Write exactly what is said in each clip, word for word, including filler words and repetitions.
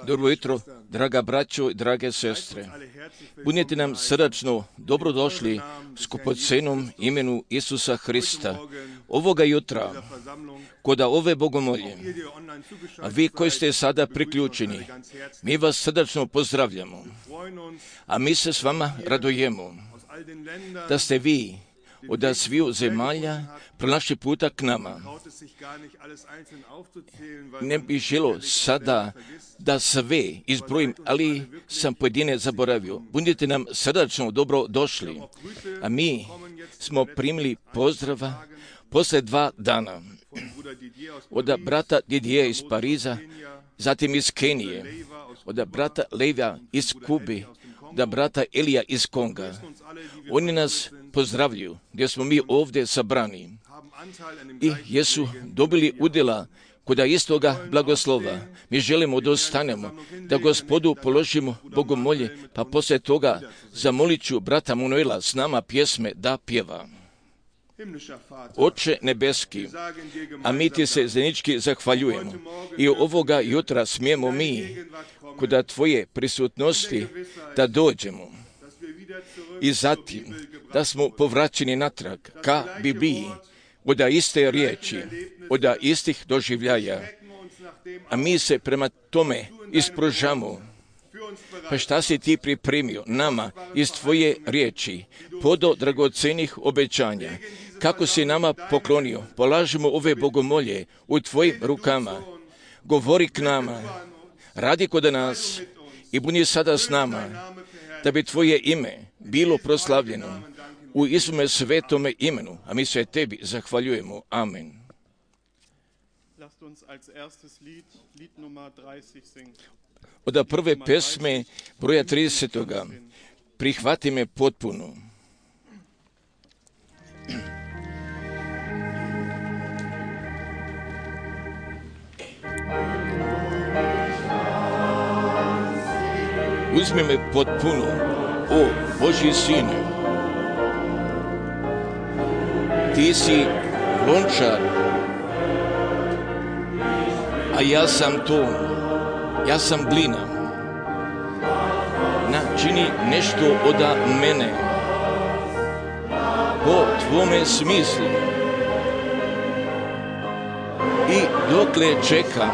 Dobro jutro, draga braćo i drage sestre. Budite nam srdačno dobrodošli u skupocenom imenu Isusa Hrista. Ovoga jutra, kod ove bogomolje, a vi koji ste sada priključeni, mi vas srdačno pozdravljamo, a mi se s vama radujemo da ste vi od sviju zemalja pronašli puta k nama. Ne bih želio sada da sve izbrojim, ali sam pojedine zaboravio. Budite nam srdačno dobro došli, a mi smo primili pozdrava posle dva dana od brata Didije iz Pariza, zatim iz Kenije, od brata Levija iz Kube, da brata Elija iz Konga. Oni nas pozdravljaju gdje smo mi ovdje sabrani i jesu dobili udjela kod istoga blagoslova. Mi želimo da ostanemo, da Gospodu položimo bogomolje, pa poslije toga zamolit ću brata Manuela s nama pjesme da pjeva. Oče nebeski, a mi ti se zajednički zahvaljujemo i ovoga jutra smijemo mi kod tvoje prisutnosti da dođemo i zatim da smo povraćeni natrag ka Bibliji od iste riječi, od istih doživljaja, a mi se prema tome ispružamo. Pa šta si ti pripremio nama iz tvoje riječi, podo dragocenih obećanja, kako si nama poklonio, polažimo ove bogomolje u tvojim rukama, govori k nama, radi kod nas i budi sada s nama, da bi tvoje ime bilo proslavljeno u Isume svetome imenu, a mi se tebi zahvaljujemo. Amen. Od prve pesme broja tridesetoga prihvati me potpuno. Uzmi me potpuno, o Božji Sine. Ti si lončar, a ja sam ton, ja sam glina. Načini nešto od mene, po tvome smislu. I dokle čekam,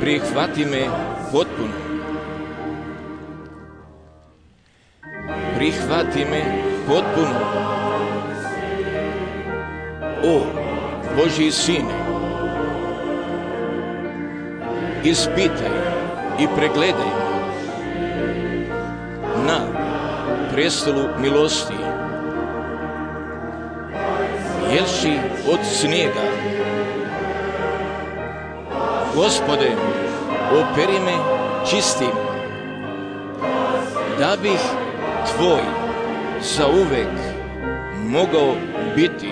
prihvati me potpuno. Prihvati me potpuno. O Božji Sine, ispitaj i pregledaj na prestolu milosti. Jelši od snijega, Gospode, operi me čistim, da bih tvoj zauvek mogao biti.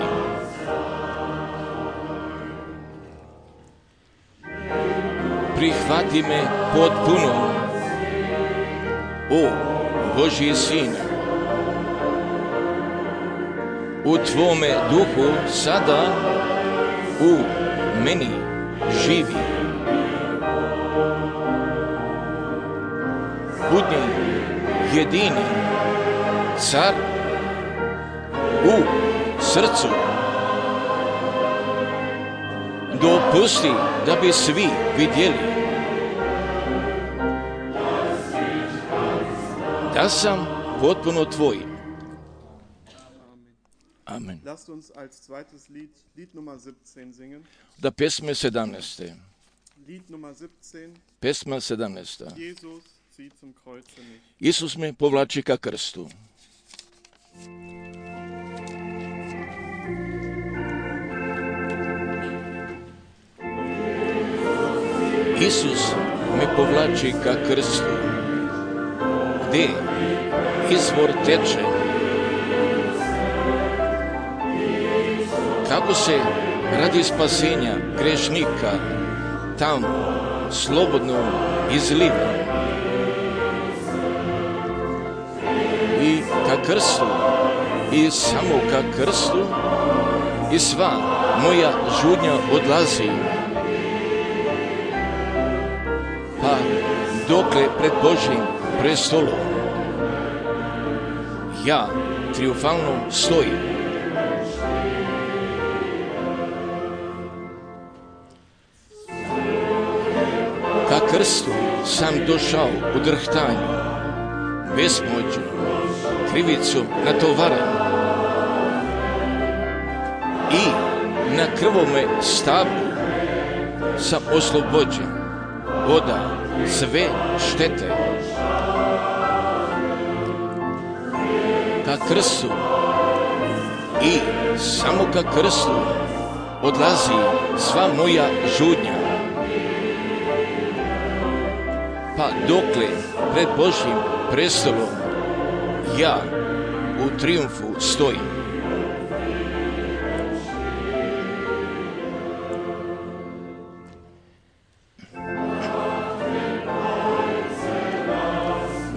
Prihvati me potpuno, o Božji Sine. U tvome duhu sada u meni živi. Budi jedini car u srcu. Dopusti da bi svi vidjeli da sam potpuno tvoj. Amen. Da pesme sedamnaeste. Pesma sedamnaesta. Isus me povlači ka krstu. Isus me povlači ka krstu, gdje izvor teče. Kako se radi spasenja grešnika tamo slobodno izliva. I ka krstu, i samo ka krstu, i sva moja žudnja odlazi. Pa dokle pred Božjim prestolom ja triumfalno stojim. Ka krstu sam došao u drhtanju, besmoćno, krivicom natovaran. I na krvome stablu sam oslobođen oda sve štete. Ka krstu i samo ka krstu odlazi sva moja žudnja. Pa dokle pred Božjim prestolom ja u trijumfu stojim.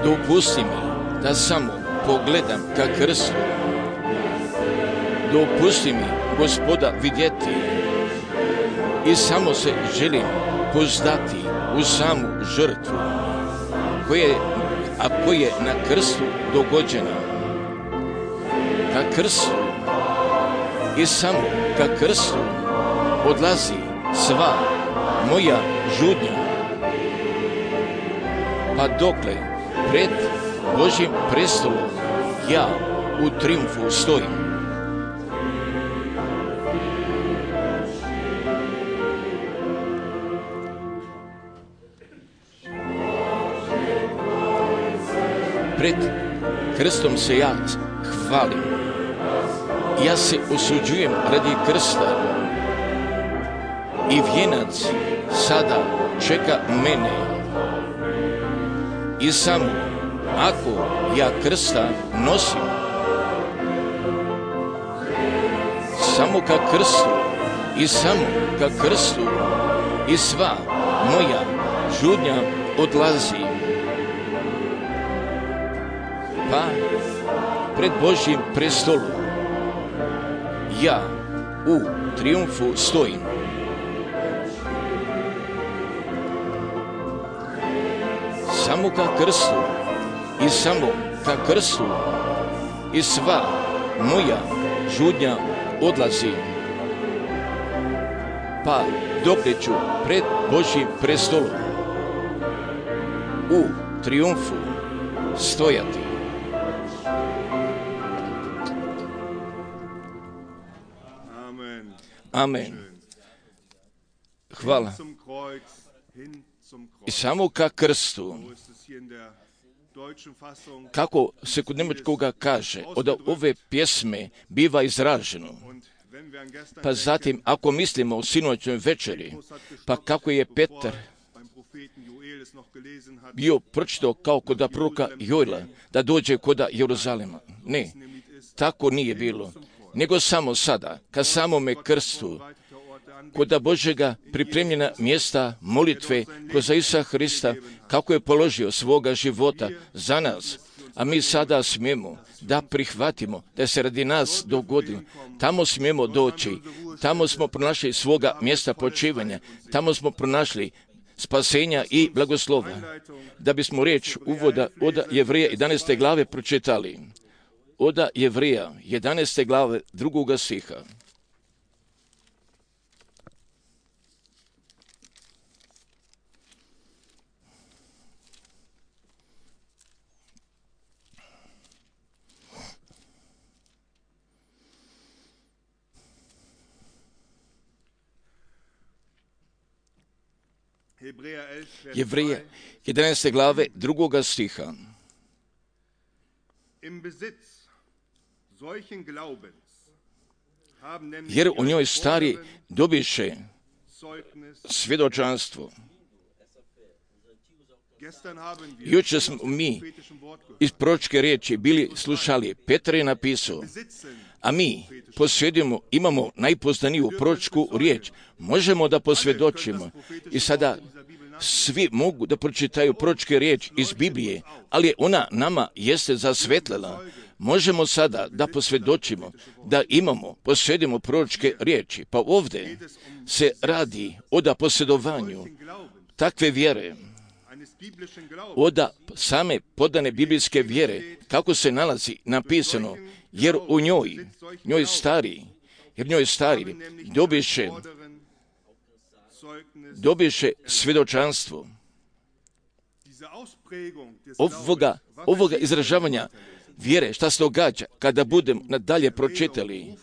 Dopusti mi da samo pogledam ka krstu. Dopusti mi, Gospoda, vidjeti i samo se želim pozdati u samu žrtvu koje, a koje je na krstu dogođena. Ka krstu i samo ka krstu odlazi sva moja žudnja. Pa dokle pred Božjim prestolom ja u trijumfu stojim. Pred krstom se ja hvalim. Ja se osuđujem radi krsta i vijenac sada čeka mene. I samo ako ja krsta nosim, samo ka krstu i samo ka krstu i sva moja žudnja odlazi. Pa pred Božjim prestolom ja u trijumfu stojim. Samo ka krstu i samo ka krstu i sva moja žudnja odlazi. Pa dokle ću pred Božjim prestolom u trijumfu stojati. Amen. Hvala. I samo ka krstu, kako se kod njemačkoga kaže, od ove pjesme biva izraženo. Pa zatim, ako mislimo o sinoćnoj večeri, pa kako je Petar bio pročitao kao kod proroka Joela, da dođe kod Jeruzalema. Ne, tako nije bilo. Nego samo sada, ka samome krstu, kod Božjega pripremljena mjesta molitve kroz Isusa Hrista, kako je položio svoga života za nas, a mi sada smijemo da prihvatimo da se radi nas dogodilo. Tamo smijemo doći, tamo smo pronašli svoga mjesta počivanja, tamo smo pronašli spasenja i blagoslova. Da bismo riječ uvoda od Jevreja jedanaeste glave pročitali. Od Jevreja jedanaeste glave drugoga stiha. Jevreja jedanaeste glave drugoga stiha. Jer u njoj stari dobiše svjedočanstvo. Jučer smo mi iz proročke riječi bili slušali. Petar je napisao, a mi posvjedujemo, imamo najpoznaniju proročku riječ. Možemo da posvjedočimo. I sada svi mogu da pročitaju proročke riječi iz Biblije, ali ona nama jeste zasvetlila. Možemo sada da posvjedočimo, da imamo, posvjedimo proročke riječi. Pa ovdje se radi o da posvjedovanju takve vjere. od same podane biblijske vjere, kako se nalazi napisano, jer u njoj, njoj stari, jer njoj stari, dobiše, dobiše svjedočanstvo. Ovoga, ovoga izražavanja vjere, šta se događa kada budem nadalje pročitali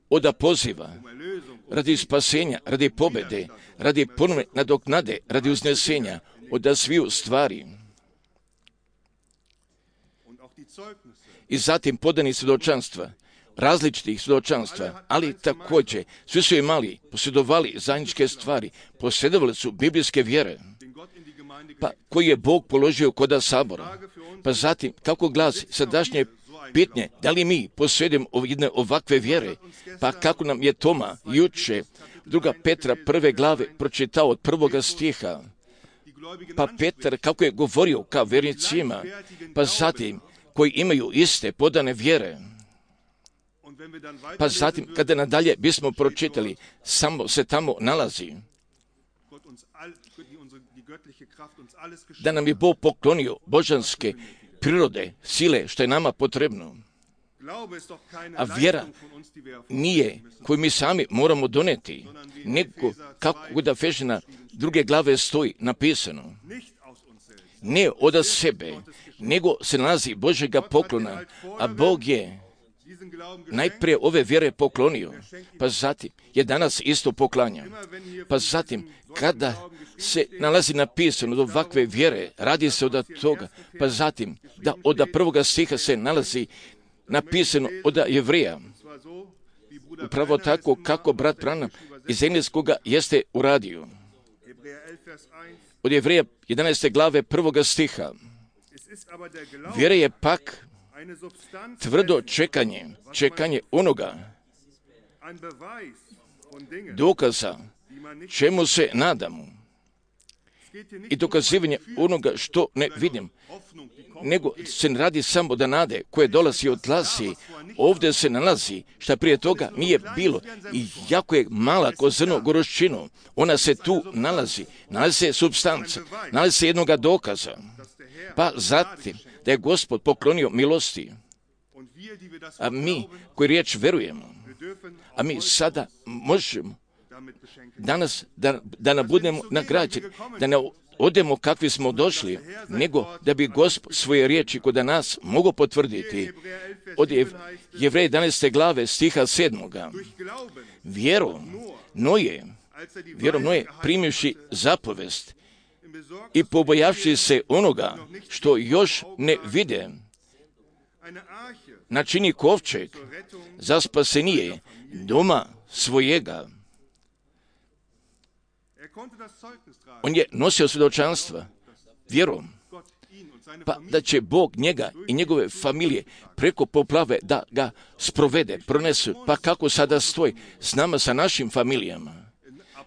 od poziva, radi spasenja, radi pobjede, radi ponovne nadoknade, radi uznesenja, od sviju stvari. I zatim podani svjedočanstva, različitih svjedočanstva, ali također svi su imali, posjedovali zajedničke stvari, posjedovali su biblijske vjere, pa koji je Bog položio kod sabora. Pa zatim, kako glasi sadašnje pitanje, da li mi posjedujemo jedne ovakve vjere, pa kako nam je Toma juče druga Petra prve glave pročitao od prvoga stiha, pa Petar kako je govorio kao vjernicima, pa zatim koji imaju iste podane vjere, pa zatim kada nadalje bismo pročitali, samo se tamo nalazi da nam je Bog poklonio božanske prirode, sile, što je nama potrebno. A vjera nije koju mi sami moramo doneti, nego kako da Efežana druge glave stoji napisano. Ne od sebe, nego se nalazi Božjega poklona, a Bog je najprije ove vjere poklonio, pa zatim je danas isto poklanja. Pa zatim, kada se nalazi napisano od ovakve vjere, radi se od toga, pa zatim da od prvoga stiha se nalazi napisano od Jevreja. Upravo tako kako brat Branham iz engleskoga jeste uradio. Od Jevreja jedanaeste glave prvoga stiha. Vjera je pak tvrdo čekanje, čekanje onoga dokaza čemu se nadamo i dokazivanje onoga što ne vidim, nego se ne radi samo da nade koje dolazi od glasi, ovdje se nalazi šta prije toga nije bilo i jako je mala ko zrno goruščinu, ona se tu nalazi, nalazi se supstanca, nalazi se jednoga dokaza, pa zatim da je Gospod poklonio milosti, a mi koji riječ verujemo, a mi sada možemo danas da, da ne budemo nagrađeni, da ne odemo kakvi smo došli, nego da bi Gospod svoje riječi kod nas mogo potvrditi. Od Jevreja jedanaeste glave stiha sedmoga. Vjerom Noje, vjerom Noje primivši zapovest i pobojavši se onoga što još ne vide, načini kovčeg za spasenije doma svojega. On je nosio svjedočanstva vjerom, pa da će Bog njega i njegove familije preko poplave da ga sprovede, pronesu, pa kako sada stoji s nama, sa našim familijama.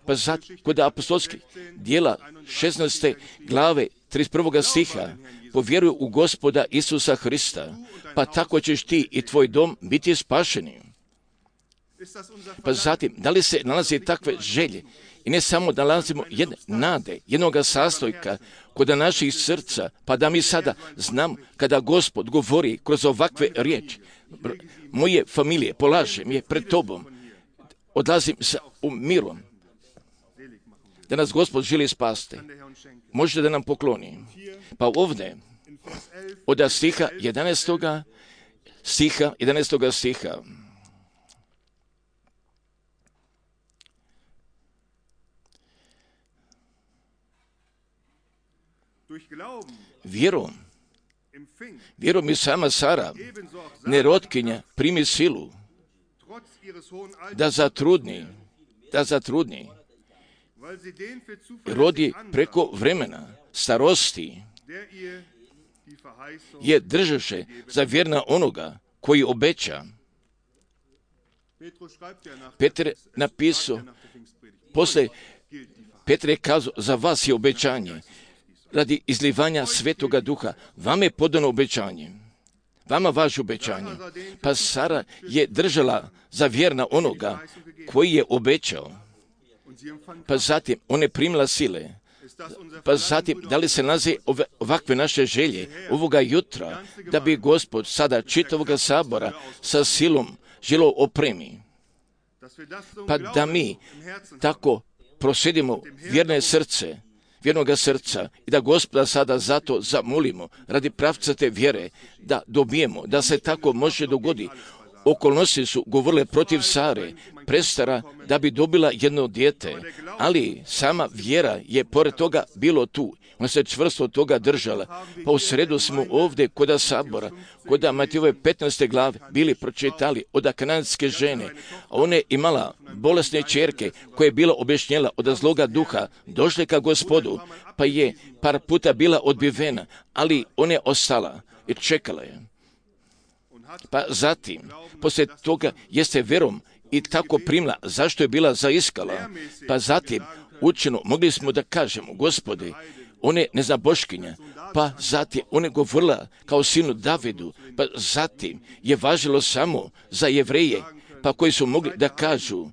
Pa zato, kod apostolskih dijela šesnaeste glave trideset prvog stiha, povjeruju u Gospoda Isusa Hrista, pa tako ćeš ti i tvoj dom biti spašeni. Pa zatim, da li se nalazi takve želje i ne samo da nalazimo jedne nade, jednoga sastojka kod naših srca, pa da mi sada znamo kada Gospod govori kroz ovakve riječi, moje familije polažem je pred tobom, odlazim sa mirom, da nas Gospod želi spasti, možete da nam pokloni. Pa ovdje, od stiha jedanaestoga stiha, jedanaestoga stiha, vjerom, vjerom i sama Sara, nerotkinja, primi silu, da zatrudni, da zatrudni, rodi preko vremena, starosti, je držaše za vjerna onoga koji obeća. Petar je napisao, posle Petar je kazao, za vas je obećanje, radi izlivanja Svetoga Duha, vama je podano obećanje, vama važe obećanje. Pa Sara je držala za vjerna onoga koji je obećao. Pa zatim, ona je primila sile Pa zatim, da li se nalazi ove, ovakve naše želje ovoga jutra, da bi Gospod sada čitavoga sabora sa silom želo opremi? Pa da mi tako prosjedimo vjerne srce, vjernoga srca i da Gospoda sada zato zamolimo radi pravcate vjere da dobijemo, da se tako može dogoditi. Okolnosti su govorile protiv Sare, prestara da bi dobila jedno dijete, ali sama vjera je pored toga bilo tu. Ona se čvrsto od toga držala. Pa u sredu smo ovdje kod sabora, kod Matijove petnaeste glave bili pročitali od kananske žene, a ona je imala bolesne ćerke koja je bila objašnjela od zloga duha, došle ka Gospodu, pa je par puta bila odbivena, ali ona je ostala i čekala je. Pa zatim, poslije toga jeste verom i tako primila, zašto je bila zaiskala. Pa zatim, učeno, mogli smo da kažemo, Gospode, on je nezaboškinja, pa zatim on je govorila kao sinu Davidu, pa zatim je važilo samo za Jevreje, pa koji su mogli da kažu,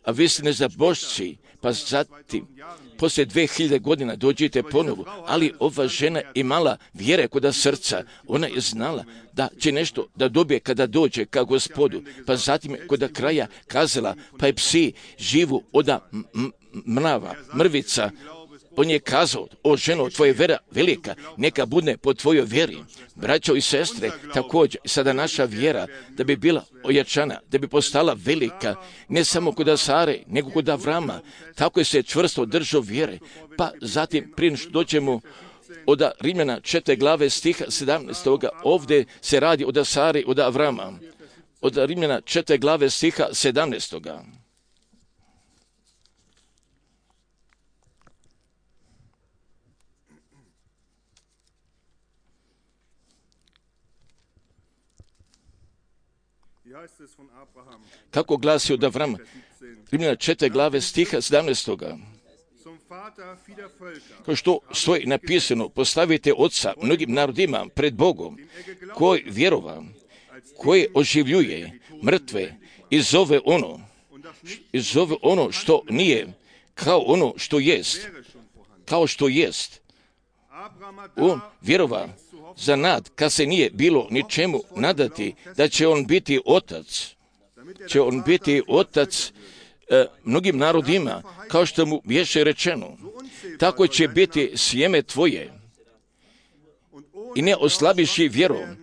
a vi ste nezabošci, pa zatim, poslije dve hiljade godina dođite ponovo, ali ova žena imala vjere kod srca, ona je znala da će nešto da dobije kada dođe ka Gospodu, pa zatim je kod kraja kazala, pa je psi živu oda mrava, mrvica. On je kazao, o ženo, tvoja vera velika, neka bude po tvojoj vjeri. Braćo i sestre, također, sada naša vjera, da bi bila ojačana, da bi postala velika, ne samo kod Sare, nego kod Avrama, tako je se čvrsto držao vjere. Pa zatim, prije što dođemo od Rimljana četvrte glave stiha sedamnaestog. Ovdje se radi od Sare i od Avrama. Od Rimljana četvrte glave stiha sedamnaestog. Kako glasi od Avrama? Rimljana četvrte glave stiha sedamnaestog. Kao što stoji napisano, postavite oca mnogim narodima pred Bogom, koji vjerova, koji oživljuje mrtve i zove ono, i zove ono što nije, kao ono što jest, kao što jest. On vjerova za nad, kad se nije bilo ničemu nadati, da će on biti otac, će on biti otac e, mnogim narodima, kao što mu biješe rečeno. Tako će biti sjeme tvoje. I ne oslabiši vjerom,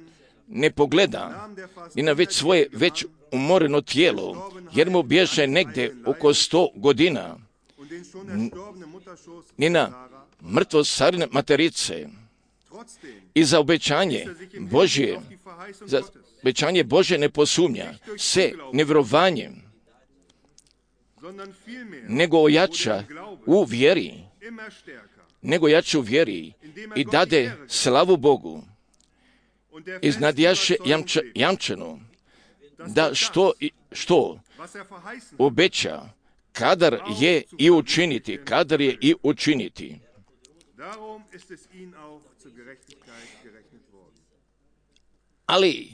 ne pogleda ni na već svoje već umoreno tijelo, jer mu biješe negdje oko sto godina, ni na mrtvo Sarine materice. I za obećanje Božje, za obećanje Božje ne posumnja se nevjerovanjem, nego ojača u vjeri, nego jača u vjeri i dade slavu Bogu. Iznadjaše jamča, jamčeno da što, što obeća, kadar je i učiniti, kadar je i učiniti. Ali,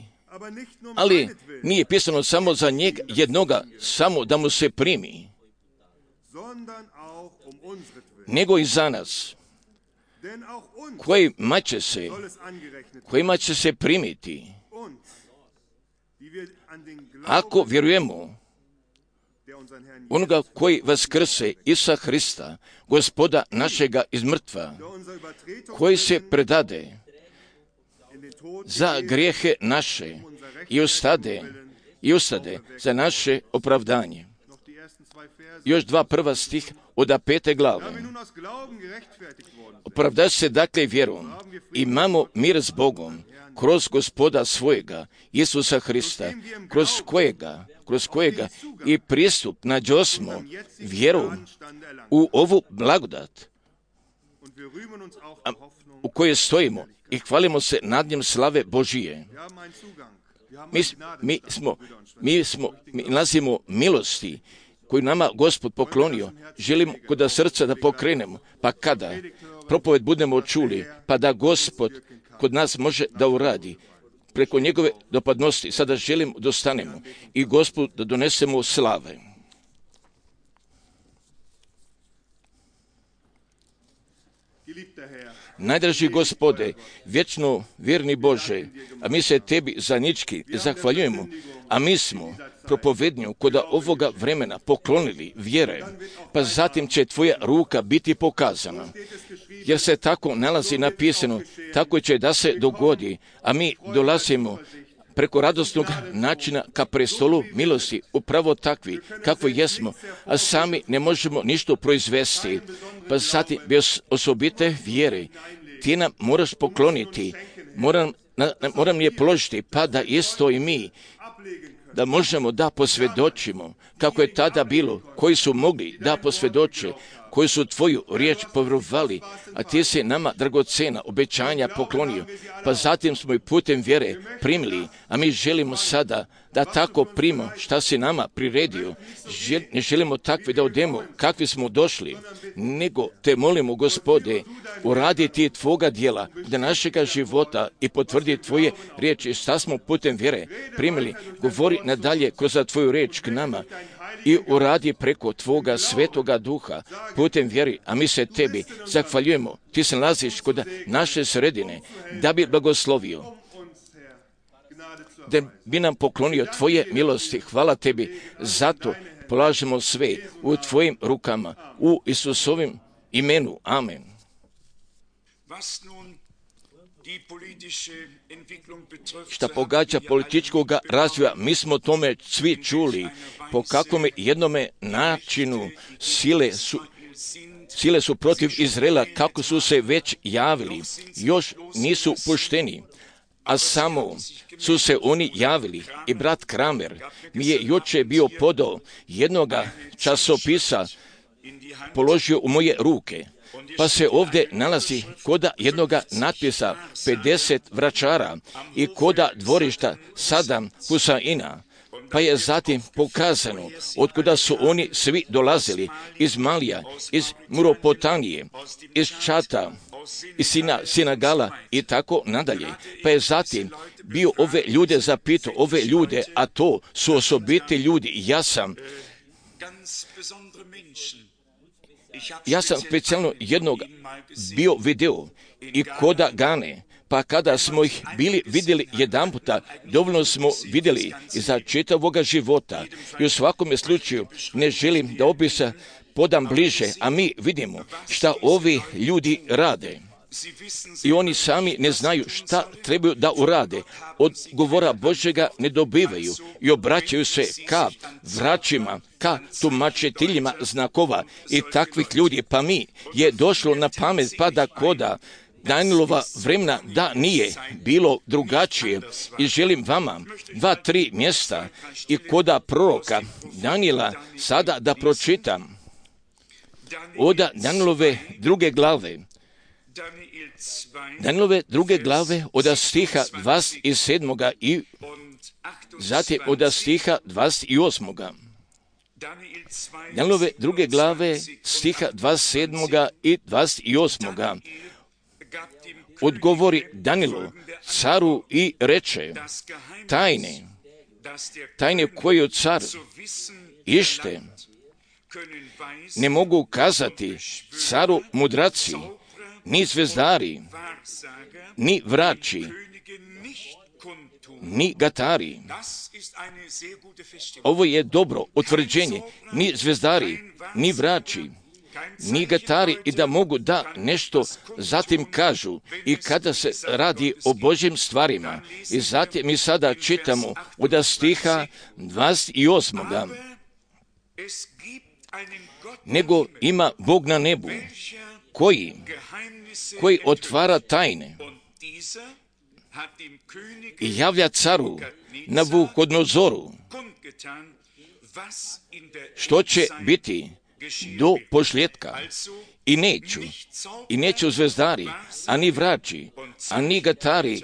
ali nije pisano samo za njega jednoga, samo da mu se primi, nego i za nas, kojima će se, kojima će se primiti, ako vjerujemo onoga koji vaskrse Isusa Hrista, Gospoda našega iz mrtva, koji se predade za grijehe naše i ustade, i ustade za naše opravdanje. Još dva prva stih od pete glave. Opravda se dakle vjerom, imamo mir s Bogom, kroz Gospoda svojega, Isusa Hrista, kroz kojega, kroz kojega i pristup nađosmo vjerom u ovu blagodat, u kojoj stojimo i hvalimo se nad njem slave Božije. Mi, mi smo, mi smo, mi nalazimo milosti koju nama Gospod poklonio, želimo kod srca da pokrenemo, pa kada propoved budemo čuli, pa da Gospod kod nas može da uradi preko njegove dopadnosti. Sada želim da ostanemo i Gospodu da donesemo slave. Najdraži Gospode, vječno vjerni Bože, a mi se Tebi zanički zahvaljujemo, a mi smo propovednju kod ovoga vremena poklonili vjere, pa zatim će Tvoja ruka biti pokazana. Jer se tako nalazi napisano, tako će da se dogodi, a mi dolazimo preko radosnog načina ka prestolu milosti, upravo takvi kako jesmo, a sami ne možemo ništa proizvesti. Pa zatim bez osobite vjere Ti nam moraš pokloniti, moram, na, moram je položiti, pa da isto i mi, da možemo da posvjedočimo kako je tada bilo, koji su mogli da posvjedoče, koji su Tvoju riječ povjerovali, a Ti si nama dragocena obećanja poklonio, pa zatim smo i putem vjere primili, a mi želimo sada da tako primo šta si nama priredio. Žel, ne želimo takvi da odemo kakvi smo došli, nego Te molimo, Gospode, uradi Ti Tvoga djela da našega života i potvrdi Tvoje riječi šta smo putem vjere primili. Govori nadalje kroz Tvoju riječ k nama i uradi preko Tvoga svetoga duha putem vjeri, a mi se Tebi zahvaljujemo. Ti se nalaziš kod naše sredine da bi blagoslovio, da bi nam poklonio Tvoje milosti. Hvala Tebi, zato polažemo sve u Tvojim rukama, u Isusovim imenu. Amen. Šta pogađa političkog razvoja, mi smo tome svi čuli, po kakvom jednome načinu sile su, sile su protiv Izraela, kako su se već javili, još nisu pušteni, a samo su se oni javili. I brat Kramer mi je juče bio podao jednoga časopisa, položio u moje ruke, pa se ovdje nalazi koda jednoga natpisa pedeset vračara i koda dvorišta Sadam Husaina, pa je zatim pokazano otkuda su oni svi dolazili, iz Malija, iz Muropotanije, iz Čata, iz Sina, Sinagala i tako nadalje. Pa je zatim bio ove ljude zapitao, ove ljude, a to su osobiti ljudi. Ja sam Ja sam specijalno jednog bio video i koda Gane, pa kada smo ih bili vidjeli jedan puta, dovoljno smo vidjeli za čitavoga života. I u svakome slučaju ne želim da opisa podam bliže, a mi vidimo šta ovi ljudi rade. I oni sami ne znaju šta trebaju da urade. Od govora Božjega ne dobivaju i obraćaju se ka vraćima, ka tumačiteljima znakova i takvih ljudi. Pa mi je došlo na pamet pa da koda Danielova vremena da nije bilo drugačije. I želim vama dva, tri mjesta i koda proroka Daniela sada da pročitam. Od Danielove druge glave. Danielove druge glave od stiha dvadeset sedam. i zatim od stiha dvadeset osam. Danielove druge glave stiha dvadeset sedam. i dvadeset osam. Odgovori Danielu caru i reče, tajne, tajne koju car ište ne mogu kazati caru mudraci, ni zvezdari, ni vrači, ni gatari. Ovo je dobro utvrđenje. Ni zvezdari, ni vrači, ni gatari i da mogu da nešto zatim kažu i kada se radi o Božjim stvarima. I zatim mi sada čitamo od stiha dvadeset osam. Nego ima Bog na nebu, koji, koji otvara tajne i javlja caru Navuhodnozoru što će biti do posljetka. I neću, i neću zvezdari, ani vrači, ani gatari,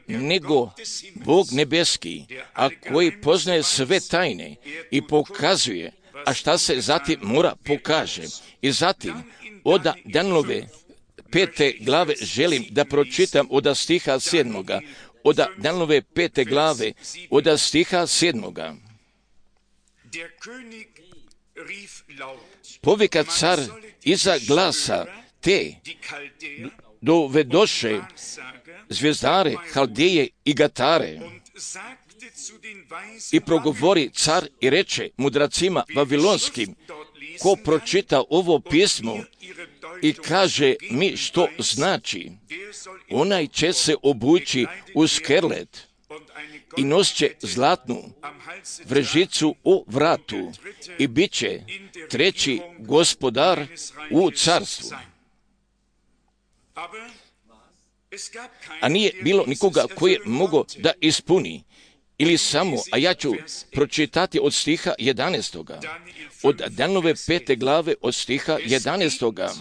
nego Bog nebeski, a koji poznaje sve tajne i pokazuje, a šta se zatim mora pokaže. I zatim, od Danielove pete glave želim da pročitam od stiha sedmoga. Od Danielove pete glave, od stiha sedmoga. Povika car iza glasa, te dovedoše zvijezdare, Haldeje i Gatare. I progovori car i reče mudracima vavilonskim, ko pročita ovo pismo i kaže mi što znači, onaj će se obući u skerlet i nosit će zlatnu vrežicu u vratu i bit će treći gospodar u carstvu. A nije bilo nikoga koji je mogao da ispuni. Ili samo, a ja ću pročitati od stiha jedanaestoga. Od Danielove pete glave od stiha jedanaestoga.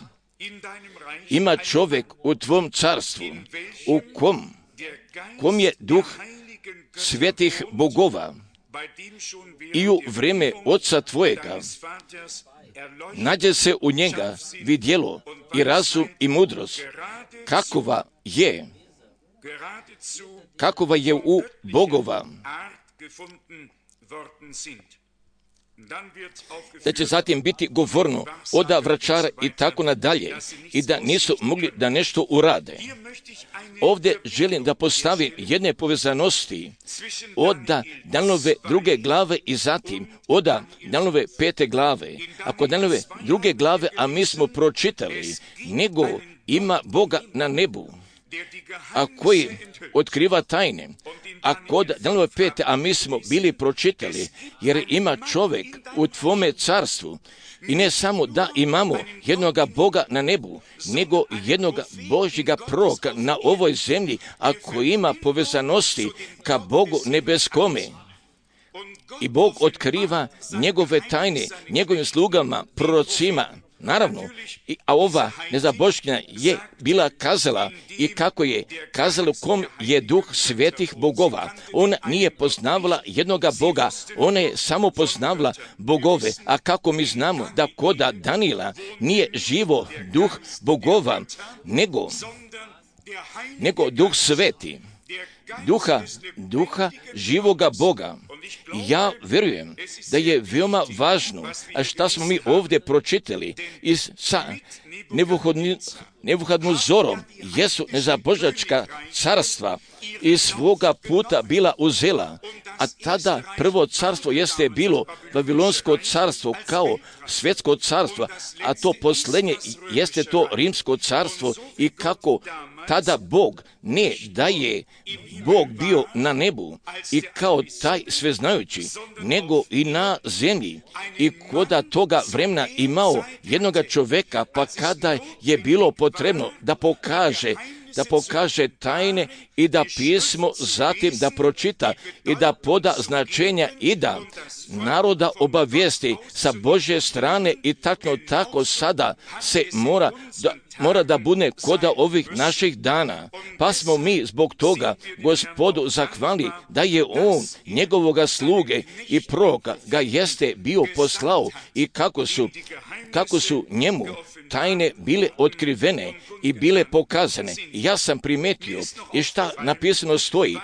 Ima čovjek u tvom carstvu, u kom, kom je duh svetih bogova i u vrijeme oca tvojega nađe se u njega vidjelo i razum i mudrost, kakova je, kakova je u bogova. Da će zatim biti govorno oda vračara i tako nadalje i da nisu mogli da nešto urade. Ovdje želim da postavim jedne povezanosti od Danielove druge glave i zatim od Danielove pete glave. Ako Danielove druge glave, a mi smo pročitali, nego ima Boga na nebu, a koji otkriva tajne, a kod Danielove pete, a mi smo bili pročitali, jer ima čovjek u tvome carstvu, i ne samo da imamo jednoga Boga na nebu, nego jednoga Božjega proroka na ovoj zemlji, a koji ima povezanosti ka Bogu nebeskome. I Bog otkriva njegove tajne, njegovim slugama, prorocima. Naravno, a ova nezaboškinja je bila kazala i kako je kazala kom je duh svetih bogova. Ona nije poznavala jednoga Boga, ona je samo poznavala bogove. A kako mi znamo da koda Daniela nije živo duh bogova, nego, nego duh sveti, duha, duha živoga Boga. Ja vjerujem da je veoma važno, a šta smo mi ovdje pročitali iz sa Nebuhadnezorom, jesu nezabožačka carstva iz svoga puta bila uzela, a tada prvo carstvo jeste bilo Vavilonsko carstvo kao svjetsko carstvo, a to posljednje jeste to Rimsko carstvo i kako tada Bog ne da je Bog bio na nebu i kao taj sveznajući, nego i na zemlji i koda toga vremena imao jednoga čovjeka, pa kada je bilo potrebno da pokaže da pokaže tajne i da pismo zatim da pročita i da poda značenja i da naroda obavijesti sa Božje strane i tačno tako sada se mora da, mora da bude koda ovih naših dana. Pa smo mi zbog toga Gospodu zahvali da je On njegovoga sluge i proroka ga jeste bio poslao i kako su, kako su njemu tajne bile otkrivene i bile pokazane. Ja sam primetio i šta napisano stoji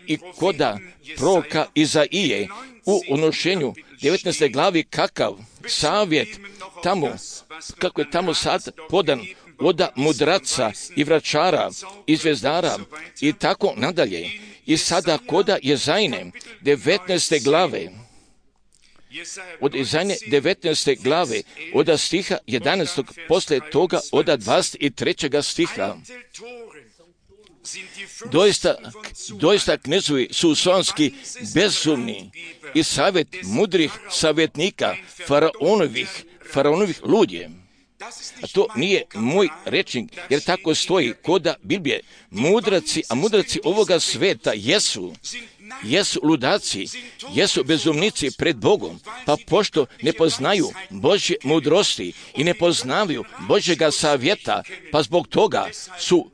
i koda proroka Izaije u unošenju devetnaeste glavi kakav savjet tamo, kako je tamo sad podan od mudraca i vračara i zvezdara i tako nadalje. I sada koda Jezajne devetnaeste glave, od Izaije devetnaeste glave, od stiha jedanaestog, posle toga od dvadeset trećeg stiha. Doista, doista knezovi su sonski bezumni i savjet mudrih savjetnika faraonovih, faraonovih ludje. A to nije moj rečnik, jer tako stoji koda Biblije. Mudraci, a mudraci ovoga sveta jesu, jesu ludaci, jesu bezumnici pred Bogom, pa pošto ne poznaju Božje mudrosti i ne poznaju Božjega savjeta, pa zbog toga su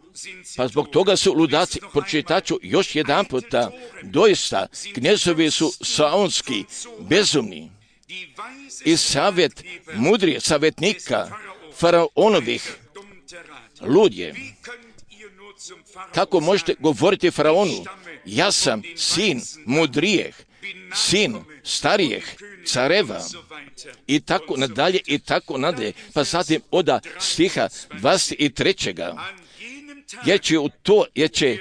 Pa zbog toga su ludaci. Pročitaću još jedan puta, doista knezovi su saonski bezumni i savjet mudrih savjetnika faraonovih ludje. Kako možete govoriti faraonu, ja sam sin mudrijeh sin starijeg careva i tako nadalje i tako nadalje. Pa zatim oda stiha dvadeset trećeg jer će u to, jer će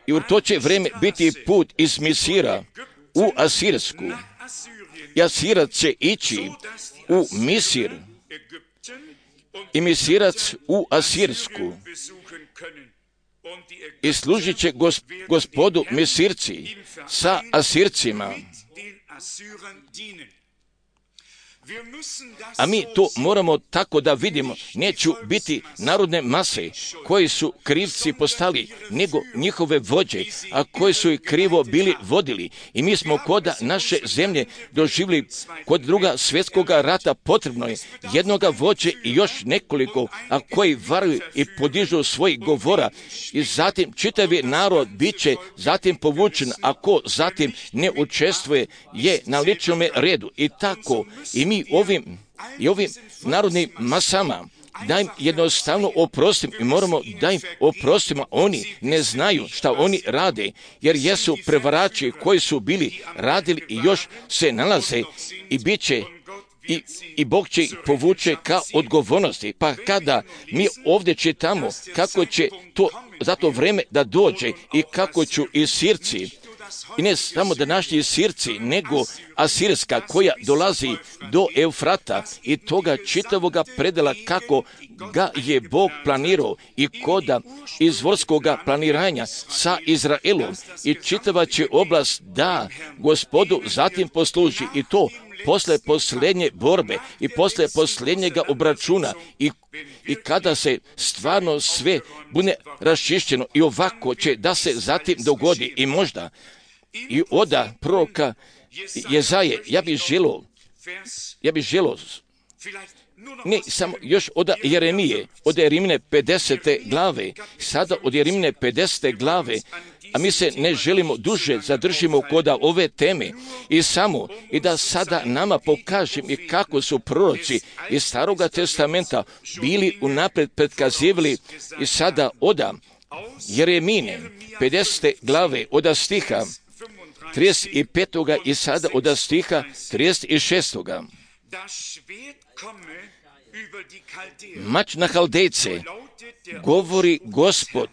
i u to će vrijeme biti put iz Misira u Asirsku. I Asirac će ići u Misir i Misirac u Asirsku. I služit će gospodu Misirci sa Asircima. A mi to moramo tako da vidimo. Neću biti narodne mase koji su krivci postali, nego njihove vođe, a koji su ih krivo bili vodili. I mi smo kod naše zemlje doživjeli kod druga svjetskoga rata potrebno je jednoga vođe i još nekoliko, a koji varuju i podižu svojih govora. I zatim čitavi narod bit će zatim povučen, ako zatim ne učestvuje je na ličnom redu. I tako i mi ovim i ovim narodnim masama da im jednostavno oprostimo i moramo da im oprostimo. Oni ne znaju šta oni rade, jer jesu prevarači koji su bili radili i još se nalaze i bit će i, i Bog će ih povuče ka odgovornosti. Pa kada mi ovdje čitamo kako će to za to vreme da dođe i kako ću i Sirci, i ne samo današnji Sirci, nego Asirska koja dolazi do Eufrata i toga čitavoga predela kako ga je Bog planirao i koda izvorskoga planiranja sa Izraelom i čitava će oblast da Gospodu zatim posluži i to posle posljednje borbe i posle posljednjega obračuna i, i kada se stvarno sve bude raščišćeno i ovako će da se zatim dogodi i možda i oda proroka Jezaje, ja bih želio, ja bih želio, ne samo još od Jeremije, od Jeremine pedesete glave, sada od Jeremine pedesete glave, a mi se ne želimo duže zadržimo kod ove teme i samo i da sada nama pokažem i kako su proroci iz Staroga testamenta bili unaprijed predkazivali i sada oda Jeremine pedesete glave od stiha trideset pet. i sada od stiha trideset šest. Mač na Haldejce, govori Gospod,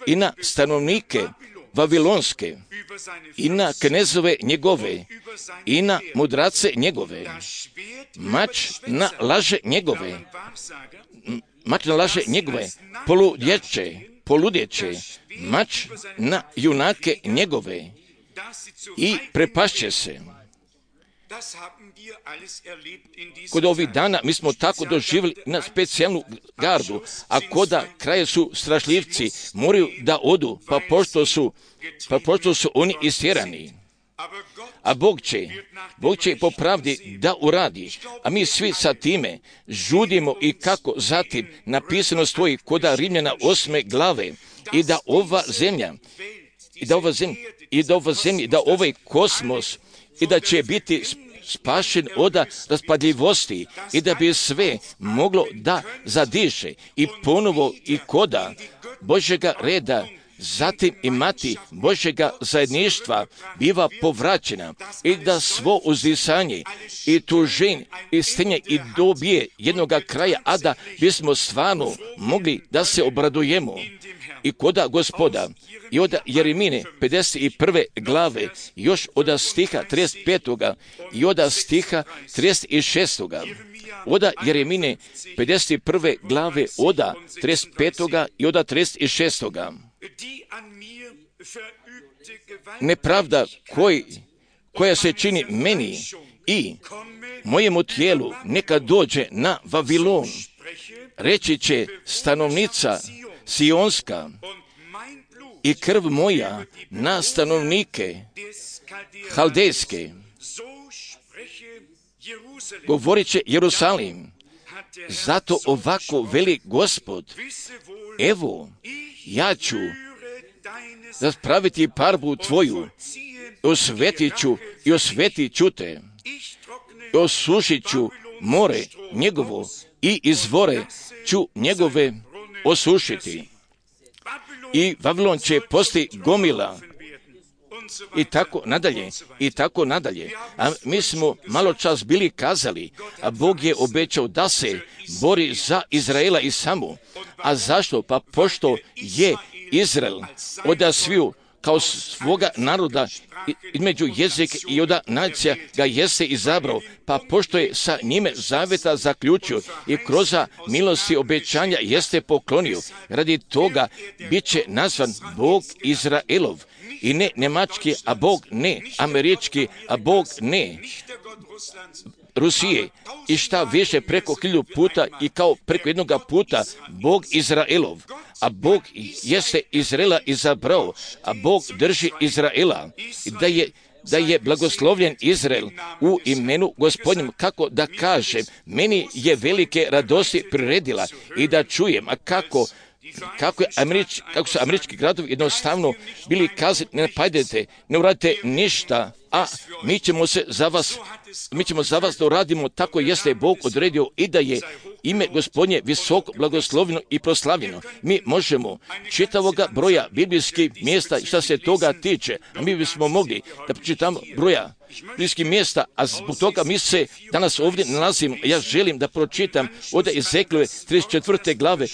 i na stanovnike Vavilonske, i na knezove njegove, i na mudrace njegove. Mač na laže njegove, mač na laže njegove, poludjeće, poludjeće, mač na junake njegove i prepašće se. Kod ovih dana mi smo tako doživjeli na specijalnu gardu, a koda kraje su strašljivci, moraju da odu, pa pošto su, pa pošto su oni istjerani. A Bog će, Bog će po pravdi da uradi, a mi svi sa time žudimo i kako zatim napisano stoji koda Rimljana osme glave i da ova zemlja, i da ova zemlja, i da ova zemlja, i da ovaj kosmos, i da će biti spašen od raspadljivosti i da bi sve moglo da zadiše i ponovo i koda Božjega reda, zatim imati Božjega zajedništva biva povraćena i da svo uzdisanje i tužen i stenje i dobije jednoga kraja, a da bismo stvarno mogli da se obradujemo i koda Gospoda. I od Jeremine pedeset prve glave, još od stiha trideset petog i od stiha trideset šestog Od Jeremine pedeset prve glave, od trideset petog i od trideset šestog Nepravda koji, koja se čini meni i mojemu tijelu neka dođe na Vavilon, reći će stanovnica Sionska, i krv moja na stanovnike Haldejske. Govorit će Jerusalim, zato ovako veli Gospod, evo, ja ću raspraviti parbu tvoju, osvetit ću i osvetit ću te, i osušit ću more njegovo i izvore ću njegove osušiti. I Vavilon će posti gomila i tako nadalje, i tako nadalje. A mi smo malo čas bili kazali, a Bog je obećao da se bori za Izraela i samo. A zašto? Pa pošto je Izrael od sviju kao svoga naroda između jezika i od nacija ga jeste izabrao, pa pošto je sa njime zaveta zaključio i kroz milosti obećanja jeste poklonio, radi toga bit će nazvan Bog Izraelov. I ne njemački, a Bog ne američki, a Bog ne Rusije. I šta više preko hiljadu puta i kao preko jednoga puta Bog Izraelov. A Bog jeste Izraela izabrao, a Bog drži Izraela. I da je da je blagoslovljen Izrael u imenu Gospodnjem, kako da kažem, meni je velike radosti priredila i da čujem, a kako Kako, je Američ, kako su američki gradovi jednostavno bili kazani, ne napadajte, ne uradite ništa, a mi ćemo se za vas, mi ćemo za vas da uradimo, tako jeste Bog odredio i da je ime Gospodnje visoko blagoslovljeno i proslavljeno. Mi možemo čitavoga broja biblijskih mjesta šta se toga tiče, a mi bismo mogli da pročitamo broja biblijskih mjesta, a zbog toga mi se danas ovdje nalazimo. Ja želim da pročitam od Ezekijele trideset četvrte glave,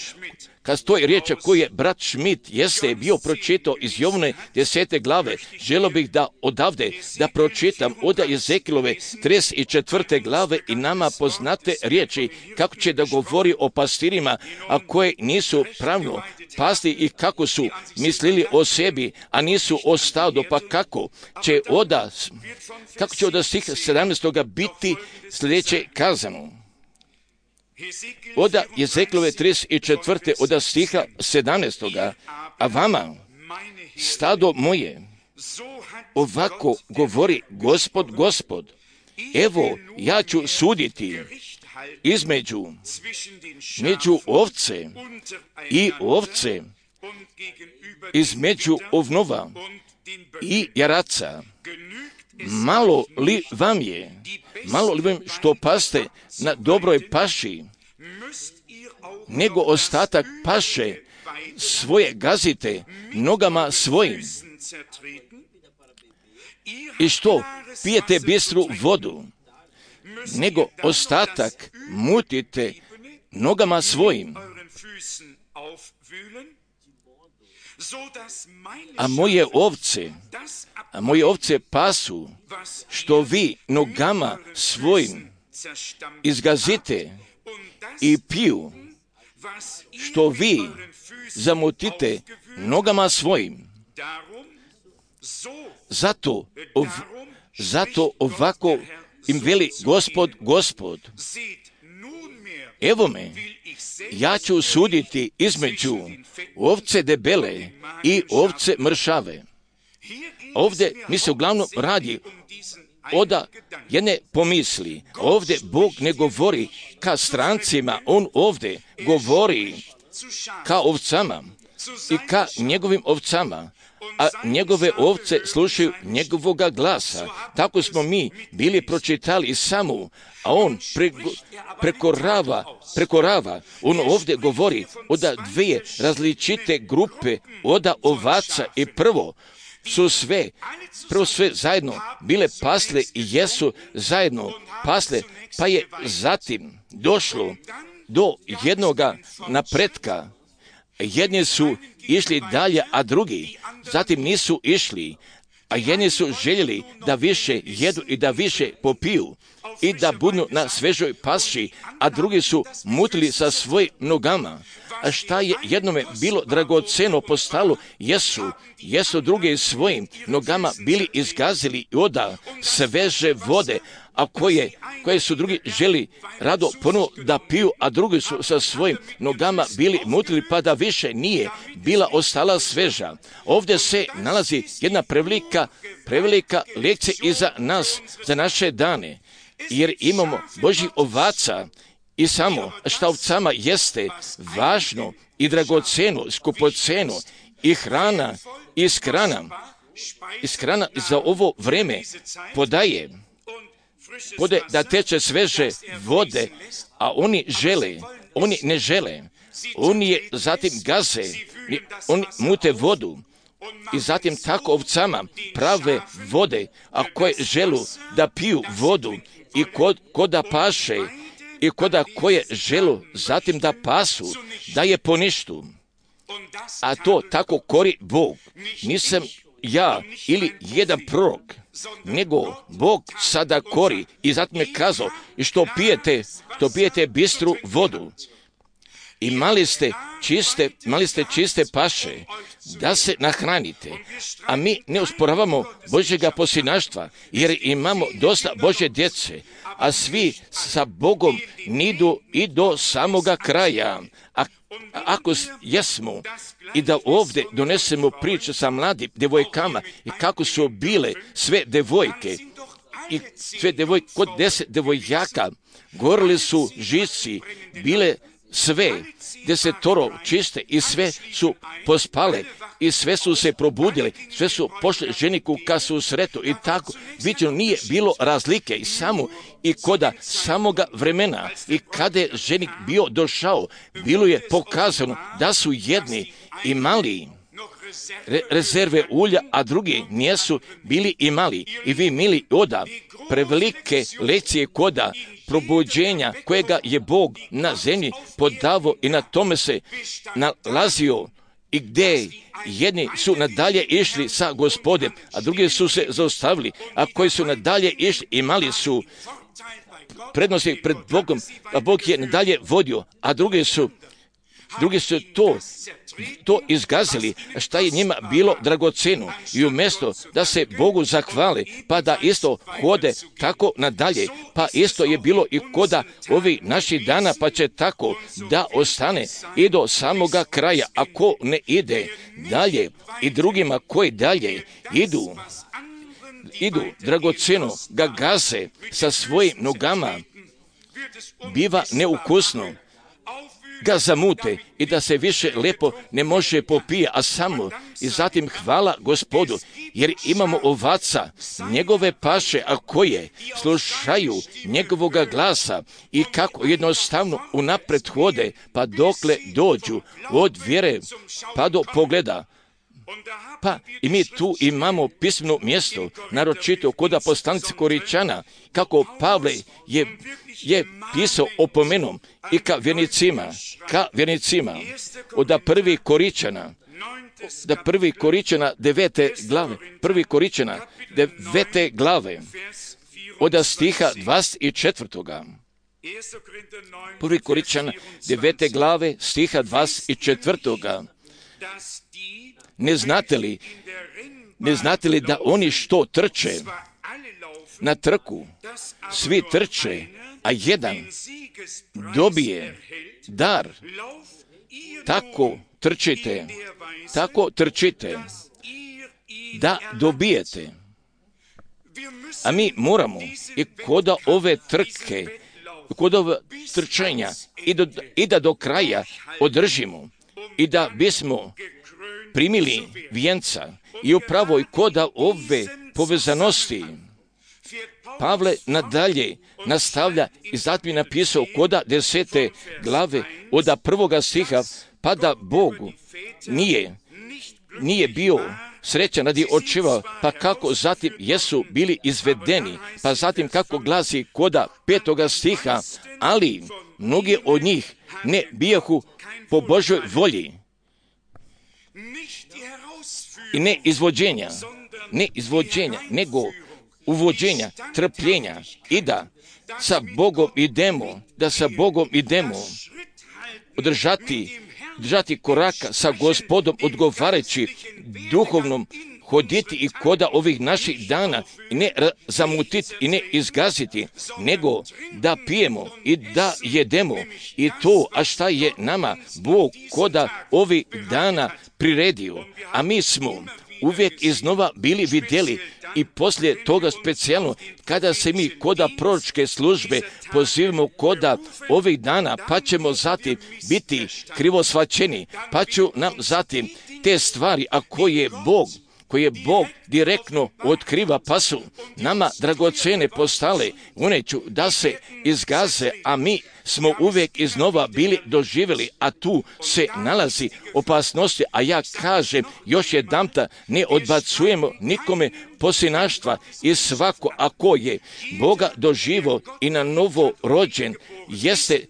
kad stoji riječ koju je brat Schmidt jeste bio pročitao iz Jovne desete glave, želio bih da odavde da pročitam od Ezekijele trideset četvrte glave i nama poznate riječi kako će da govori o pastirima, a koje nisu pravno pasti i kako su mislili o sebi, a nisu o stadu, pa kako će oda, kako će od stiha sedamnaestoga biti sljedeće kazano. Od Ezekijele trideset četvrte od stiha sedamnaestoga, a vama, stado moje, ovako govori Gospod, Gospod, evo ja ću suditi između među ovce i ovce, između ovnova i jaraca. Malo li vam je, malo li vam što paste na dobroj paši, nego ostatak paše svoje gazite nogama svojim. I što pijete bistru vodu, nego ostatak mutite nogama svojim. A moje ovce, a moje ovce pasu, što vi nogama svojim izgazite i piju, što vi zamutite nogama svojim. Zato, ov, zato ovako im veli Gospod, Gospod, evo me, ja ću suditi između ovce debele i ovce mršave. Ovdje mi se uglavnom radi oda jedne pomisli. Ovdje Bog ne govori ka strancima, On ovdje govori ka ovcama i ka njegovim ovcama, a njegove ovce slušaju njegovoga glasa. Tako smo mi bili pročitali i samo, a on preko, prekorava, prekorava. On ovdje govori od dvije različite grupe, od ovaca i prvo su sve, prvo sve zajedno bile pasle i jesu zajedno pasle, pa je zatim došlo do jednoga napretka. Jedni su išli dalje, a drugi zatim nisu išli, a jedni su željeli da više jedu i da više popiju i da budu na svežoj paši, a drugi su mutili sa svojim nogama. A šta je jednome bilo dragoceno postalo, jesu, jesu drugi svojim nogama bili izgazili i oda sveže vode, a koje, koje su drugi želi rado ponovo da piju, a drugi su sa svojim nogama bili mutili pa da više nije bila ostala sveža. Ovdje se nalazi jedna prevelika, prevelika lekcija i za nas, za naše dane, jer imamo Božjih ovaca i samo šta ovcama jeste važno i dragoceno, skupoceno i hrana, iskrana, iskrana za ovo vreme podaje, podaje da teče sveže vode, a oni žele, oni ne žele, oni je zatim gaze, oni mute vodu, i zatim tako ovcama prave vode, a koje želu da piju vodu i kod, kod da paše i koda koje želu zatim da pasu, da je poništu. A to tako kori Bog. Nisam ja ili jedan prorok, nego Bog sada kori i zatim je kazao i što pijete, što pijete bistru vodu. I mali ste čiste, mali ste čiste paše da se nahranite. A mi ne usporavamo Božjega posinaštva, jer imamo dosta Božje djece, a svi sa Bogom nidu i do samoga kraja. A ako jesmo i da ovdje donesemo priču sa mladim devojkama i kako su bile sve devojke i sve devojke, kod deset devojaka gorili su žici, bile sve desetoro čiste i sve su pospale i sve su se probudile, sve su pošle ženiku ka susretu i tako viđeno nije bilo razlike i samo i koda samoga vremena i kada je ženik bio došao, bilo je pokazano da su jedni imali re- rezerve ulja, a drugi nijesu bili imali. I vi, mili, oda prevelike lekcije koda probuđenja kojega je Bog na zemlji podavo i na tome se nalazio i gdje jedni su nadalje išli sa Gospodem, a drugi su se zaustavili, a koji su nadalje išli imali su prednosti pred Bogom, a Bog je nadalje vodio, a drugi su drugi su to to izgazili, šta je njima bilo dragoceno, i umjesto da se Bogu zahvale, pa da isto hode tako nadalje, pa isto je bilo i koda ovih naših dana, pa će tako da ostane i do samoga kraja, ako ne ide dalje i drugima koji dalje idu, idu dragoceno ga gaze sa svojim nogama, biva neukusno, ga zamute i da se više lepo ne može popije, a samo i zatim hvala Gospodu, jer imamo ovaca, njegove paše, a koje slušaju njegovoga glasa i kako jednostavno unapred hode, pa dokle dođu od vjere pa do pogleda. Pa i mi tu imamo pismeno mjesto, naročito kod poslanice Koričana, kako Pavle je, je pisao opomenom i ka vjernicima, ka vjernicima, od prvi Koričana, da prvi Koričana devete glave, prvi Koričana devete glave, od stiha dvadeset četvrtoga. Prvi Koričana devete glave, stiha dvadeset četvrtoga. Ne znate li, ne znate li da oni što trče na trku, svi trče, a jedan dobije dar. Tako trčite, tako trčite da dobijete. A mi moramo i kod ove trke, kod ove trčenja i, do, i da do kraja održimo i da bismo primili vijenca. I upravo i koda ove povezanosti Pavle nadalje nastavlja i zatim je napisao koda desete glave od prvoga stiha, pa da Bogu nije, nije bio srećan radi očeva, pa kako zatim jesu bili izvedeni, pa zatim kako glasi koda petoga stiha, ali mnogi od njih ne bijahu po Božoj volji i ne izvođenja, ne izvođenja, nego uvođenja, trpljenja i da sa Bogom idemo, da sa Bogom idemo, održati, držati koraka sa Gospodom, odgovarajući duhovnom hoditi i koda ovih naših dana i ne zamutiti i ne izgaziti, nego da pijemo i da jedemo i to, a šta je nama Bog koda ovih dana priredio, a mi smo uvijek iznova bili vidjeli i poslije toga specijalno kada se mi koda proročke službe pozivamo koda ovih dana, pa ćemo zatim biti krivo shvaćeni, pa ću nam zatim te stvari, a koje Bog koje Bog direktno otkriva, pa su nama dragocene postale, one ću da se izgaze, a mi smo uvijek iznova bili doživjeli, a tu se nalazi opasnosti, a ja kažem još jedanputa, ne odbacujemo nikome posinaštva i svako ako je Boga doživo i na novo rođen, jeste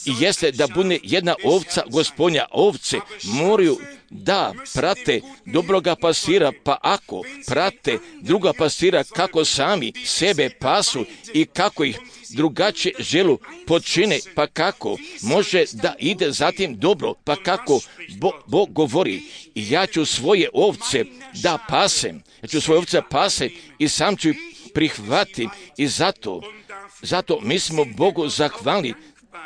jeste da bude jedna ovca Gospodnja. Ovce moraju da prate dobroga pastira, pa ako prate druga pastira kako sami sebe pasu i kako ih drugačije želu počine, pa kako može da ide zatim dobro, pa kako Bog, Bog govori, ja ću svoje ovce da pasem, ja ću svoje ovce pasem i sam ću ih prihvatim i zato, zato mi smo Bogu zahvalni.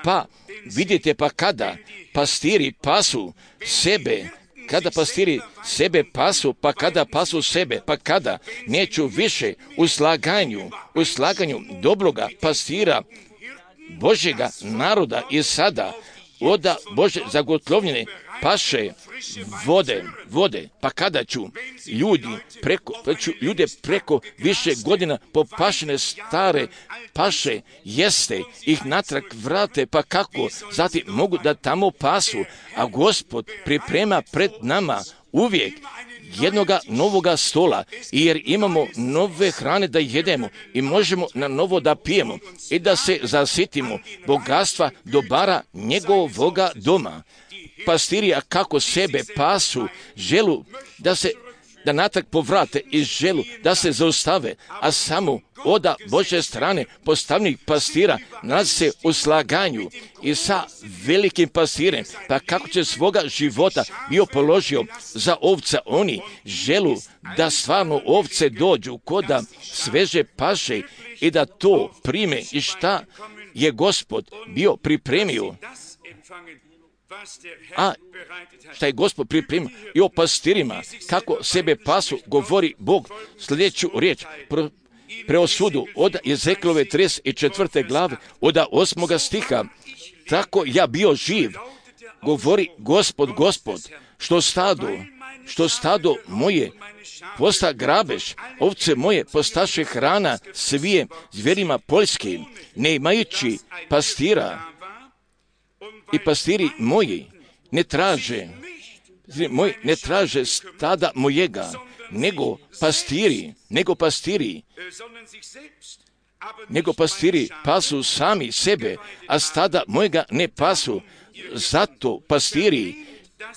Pa vidite, pa kada pastiri pasu sebe, kada pastiri sebe pasu, pa kada pasu sebe, pa kada neću više u slaganju, u slaganju dobroga pastira Božjega naroda i sada oda Bože zagotlovljene paše vode, vode, pa kada ću ljudi preko, pa ću ljude preko više godina popašene stare paše jeste, ih natrag vrate, pa kako zatim mogu da tamo pasu, a Gospod priprema pred nama uvijek jednoga novoga stola, jer imamo nove hrane da jedemo i možemo na novo da pijemo i da se zasitimo bogatstva dobara njegovoga doma. Pastiri, a kako sebe pasu, želu da se da natrag povrate i želu da se zaustave, a samo oda Božje strane postavnih pastira nalazi se u slaganju i sa velikim pastirem, pa kako će svoga života bio položio za ovca, oni želu da stvarno ovce dođu koda sveže paše i da to prime i šta je Gospod bio pripremio. A šta je Gospod pripremio i o pastirima, kako sebe pasu, govori Bog sljedeću riječ, pro, preosudu od Ezekielove trideset četvrte glave, od osmoga stiha, tako ja bio živ, govori Gospod, Gospod, što stado, što stado moje posta grabež, ovce moje postaše hrana svije zverima poljskim, ne imajući pastira. I pastiri moji ne traže, moji ne traže stada mojega, nego pastiri, nego pastiri, nego pastiri pasu sami sebe, a stada mojega ne pasu. Zato pastiri,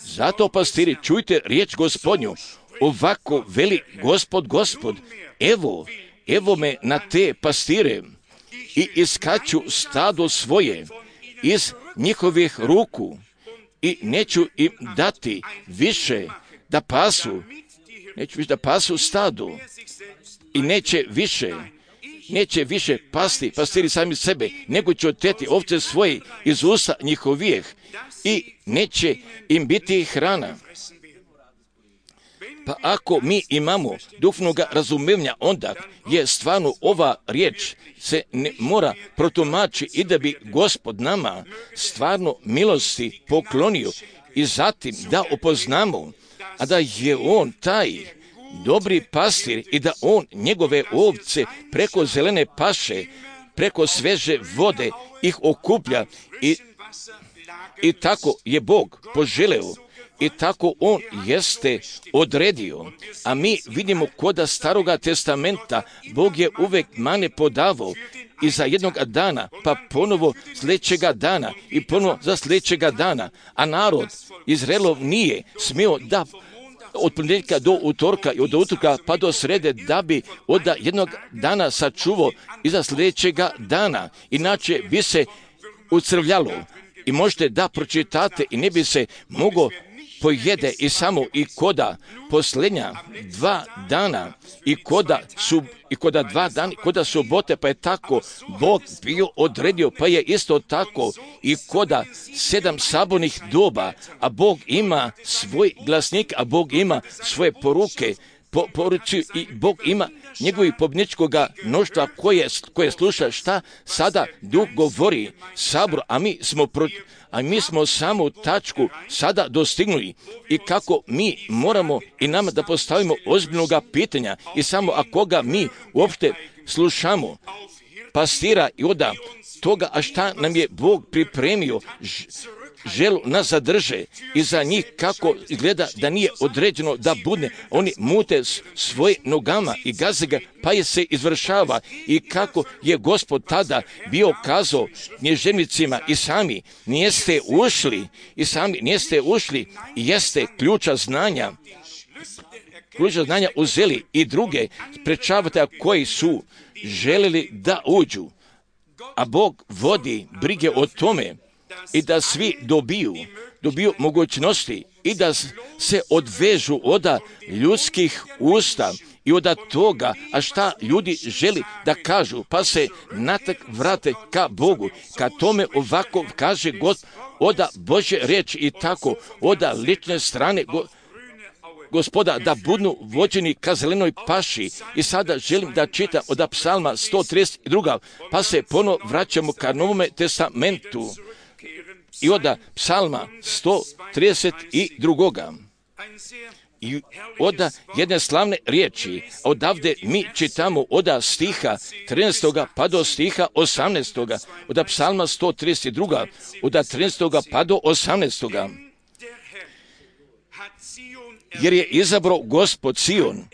zato pastiri, čujte riječ Gospodnju, ovako veli Gospod, Gospod, evo, evo me na te pastire i iskaču stado svoje iz njihovih ruku i neću im dati više da pasu, neću više da pasu stadu i neće više, neće više pasti pastiri sami sebe, nego će oteti ovce svoje iz usta njihovih i neće im biti hrana. Pa ako mi imamo duhovnog razumevanja, onda je stvarno ova riječ se ne mora protumači i da bi Gospod nama stvarno milosti poklonio i zatim da upoznamo, a da je On taj dobri pastir i da On njegove ovce preko zelene paše, preko sveže vode ih okuplja i, i tako je Bog poželeo. I tako On jeste odredio, a mi vidimo koda Staroga testamenta Bog je uvijek mane podavao i za jednog dana, pa ponovo sljedećega dana i ponovo za sljedećega dana, a narod Izraelov nije smio da od ponedjeljka do utorka i od utorka pa do srede da bi od jednog dana sačuvao i za sljedećega dana, inače bi se ucrvljalo. I možete da pročitate i ne bi se moglo pojede i samo i koda posljednja dva dana i koda su i koda dva dana, koda subote, pa je tako Bog bio odredio, pa je isto tako i koda sedam sabornih doba, a Bog ima svoj glasnik, a Bog ima svoje poruke, po, poruci i Bog ima njegovih pobjedničkoga mnoštva koje, koje sluša šta sada Duh govori sabor, a mi smo pro, a mi smo samu tačku sada dostignuli i kako mi moramo i nama da postavimo ozbiljnoga pitanja i samo ako ga mi uopšte slušamo, pastira i onda toga, a šta nam je Bog pripremio, želu nas zadrže i za njih kako izgleda da nije određeno da budne, oni mute svoje nogama i gaze ga, pa je se izvršava. I kako je Gospod tada bio kazao knježevnicima i sami nijeste ušli, i sami nijeste ušli i jeste ključa znanja, ključa znanja uzeli i druge sprečavate koji su želeli da uđu. A Bog vodi brige o tome i da svi dobiju, dobiju mogućnosti i da se odvežu od ljudskih usta i od toga, a šta ljudi želi da kažu, pa se natak vrate ka Bogu. Kad tome ovako kaže God, od Božje riječi i tako, od lične strane go, Gospoda, da budnu vođeni ka zelenoj paši. I sada želim da čitam od psalma sto trideset dva, pa se ponovo vraćamo ka Novome testamentu. I od psalma sto trideset dva. I od jedne slavne riječi, odavde mi čitamo od stiha trinaestog pa do stiha osamnaestog. Od psalma sto trideset dva, od trinaestog pa do osamnaestog. Jer je izabrao Gospod Sion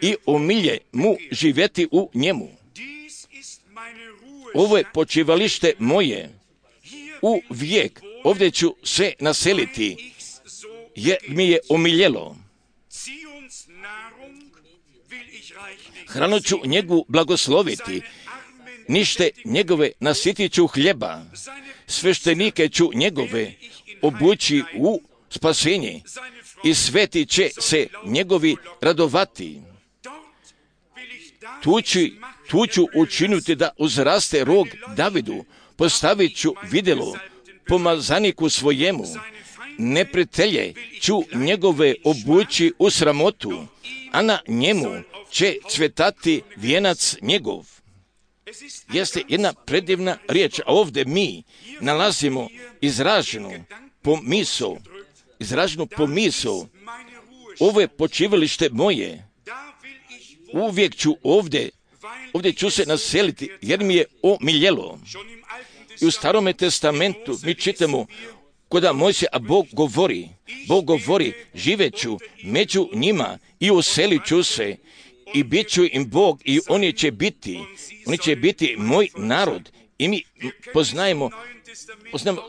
i omilje mu živjeti u njemu. Ovo je počivalište moje, u vijek ovdje ću se naseliti, jer mi je omiljelo. Hranu ću njegu blagosloviti, nište njegove nasitit ću hljeba, sveštenike ću njegove obući u spasenje i sveti će se njegovi radovati. Tu ću, tu ću učiniti da uzraste rog Davidu, postavit ću vidjelo pomazaniku svojemu, neprijatelje ću njegove obući u sramotu, a na njemu će cvjetati vijenac njegov. Jeste jedna predivna riječ, a ovdje mi nalazimo izraženu pomisao, izraženu pomisao, ovo je počivalište moje, uvijek ću ovdje, ovdje ću se naseliti, jer mi je omiljelo. I u Starome testamentu mi čitamo kod Mojsija, a Bog govori, Bog govori, živeću među njima i uselit ću se i bit ću im Bog i oni će biti, oni će biti moj narod. I mi poznajemo, poznajemo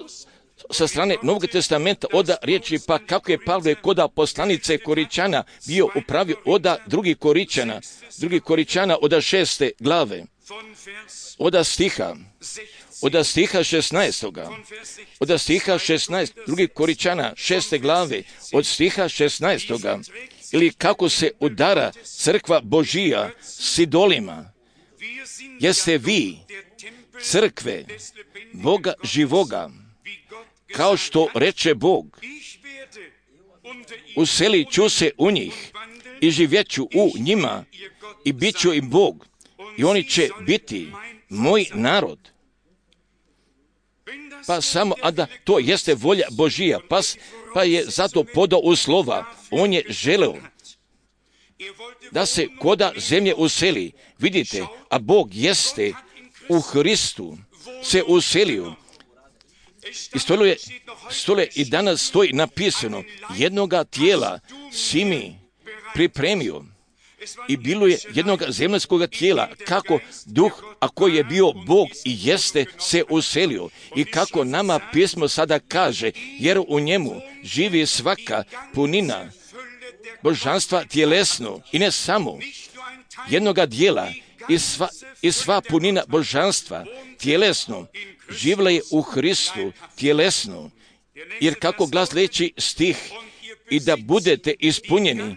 sa strane Novog testamenta oda riječi, pa kako je Pavle koda poslanice Koričana bio upravio oda drugih Koričana, drugih Koričana oda šeste glave, oda stiha, oda stiha šesnaestoga, oda stiha šesnaest, drugih Koričana šeste glave, od stiha šesnaestoga, ili kako se udara crkva Božija s idolima, jeste vi crkve Boga živoga, kao što reče Bog, uselit ću se u njih i živjet ću u njima i bit ću im Bog i oni će biti moj narod. Pa samo, a da to jeste volja Božija, pa, pa je zato podao uslova, on je želeo da se koda zemlje useli. Vidite, a Bog jeste u Hristu se uselio. I stole, stole i danas stoji napisano, jednoga tijela si mi pripremio. I bilo je jednog zemaljskog tijela, kako duh, a koji je bio Bog i jeste, se uselio. I kako nama pismo sada kaže, jer u njemu živi svaka punina božanstva tjelesno i ne samo jednoga dijela i sva, i sva punina božanstva tjelesno živla je u Hristu tjelesno. Jer kako glas leći stih, i da budete ispunjeni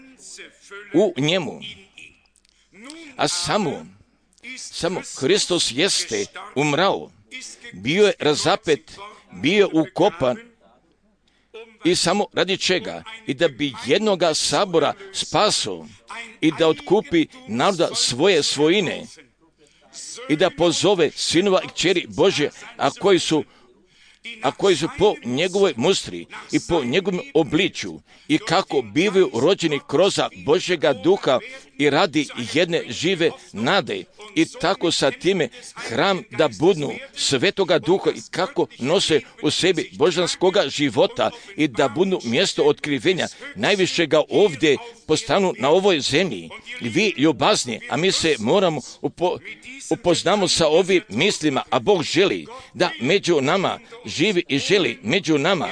u njemu. A samo, samo Hristos jeste umrao, bio je razapet, bio je ukopan, i samo radi čega? I da bi jednoga sabora spasao i da otkupi naroda svoje svojine i da pozove sinova i kćeri Božje, a koji su a koji su po njegovoj mustri i po njegovom obličju i kako bivaju rođeni kroz Božjega duha i radi jedne žive nade i tako sa time hram da budnu Svetoga Duha i kako nose u sebi božanskoga života i da budnu mjesto otkrivenja najvišega ovdje postanu na ovoj zemlji. I vi ljubazni, a mi se moramo upo, upoznamo sa ovim mislima, a Bog želi da među nama živi i želi među nama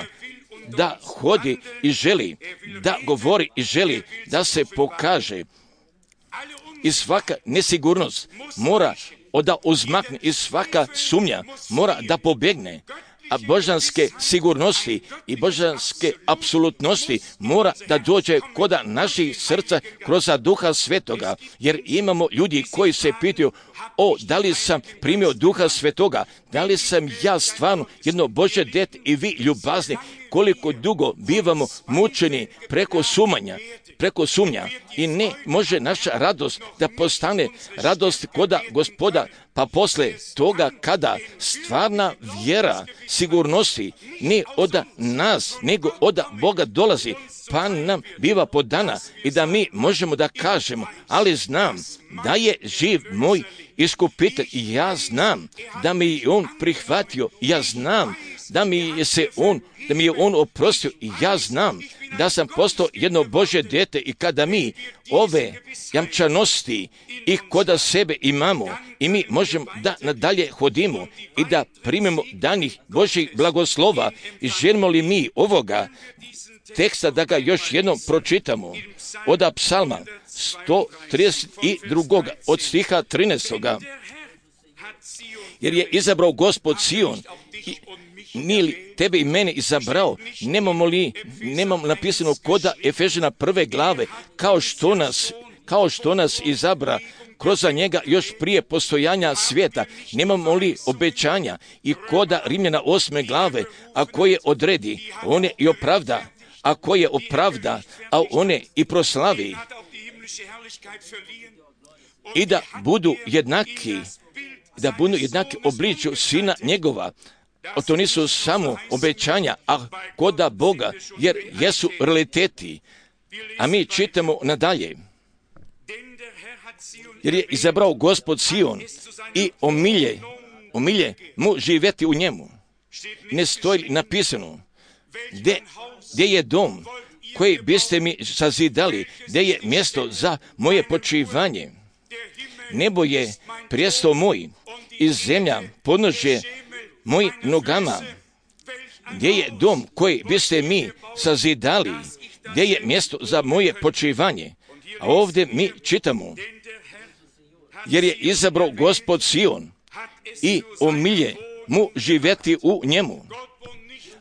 da hodi i želi, da govori i želi, da se pokaže. I svaka nesigurnost mora da uzmakne i svaka sumnja mora da pobjegne. A božanske sigurnosti i božanske apsolutnosti mora da dođe koda naših srca kroz Duha Svetoga. Jer imamo ljudi koji se pitaju, o, da li sam primio Duha Svetoga, da li sam ja stvarno jedno Božje dete i vi ljubazni, koliko dugo bivamo mučeni preko sumanja, preko sumnja i ne može naša radost da postane radost koda Gospoda, pa posle toga kada stvarna vjera sigurnosti ne od nas, nego od Boga dolazi, pa nam biva podana i da mi možemo da kažemo, ali znam da je živ moj iskupitelj i ja znam da mi je on prihvatio, ja znam da mi je se on, da mi je on oprostio i ja znam da sam postao jedno Božje dijete i kada mi ove jamčanosti i koda sebe imamo i mi možemo da nadalje hodimo i da primimo danih Božjih blagoslova i želimo li mi ovoga teksta da ga još jednom pročitamo od psalma sto trideset dva od stiha trinaestog. Jer je izabrao Gospod Sion i nije li tebe i mene izabrao, nemamo li, nemamo napisano koda Efežana prve glave, kao što nas, kao što nas izabra kroz njega još prije postojanja svijeta, nemamo li obećanja i koda Rimljana osme glave, a koje odredi, on je i opravda, a koje opravda, a one i proslavi i da budu jednaki, da budu jednaki obličju Sina njegova. O to nisu samo obećanja, a koda Boga, jer jesu realiteti. A mi čitamo nadalje. Jer je izabrao Gospod Sion i omilje, omilje mu živjeti u njemu. Ne stoji napisano, gdje, gdje je dom koji biste mi sazidali, gdje je mjesto za moje počivanje. Nebo je prijestol moj i zemlja podnožje mojim nogama. Gdje je dom koji biste mi sazidali, gdje je mjesto za moje počivanje. A ovdje mi čitamo, jer je izabrao Gospod Sion i omilje mu živjeti u njemu.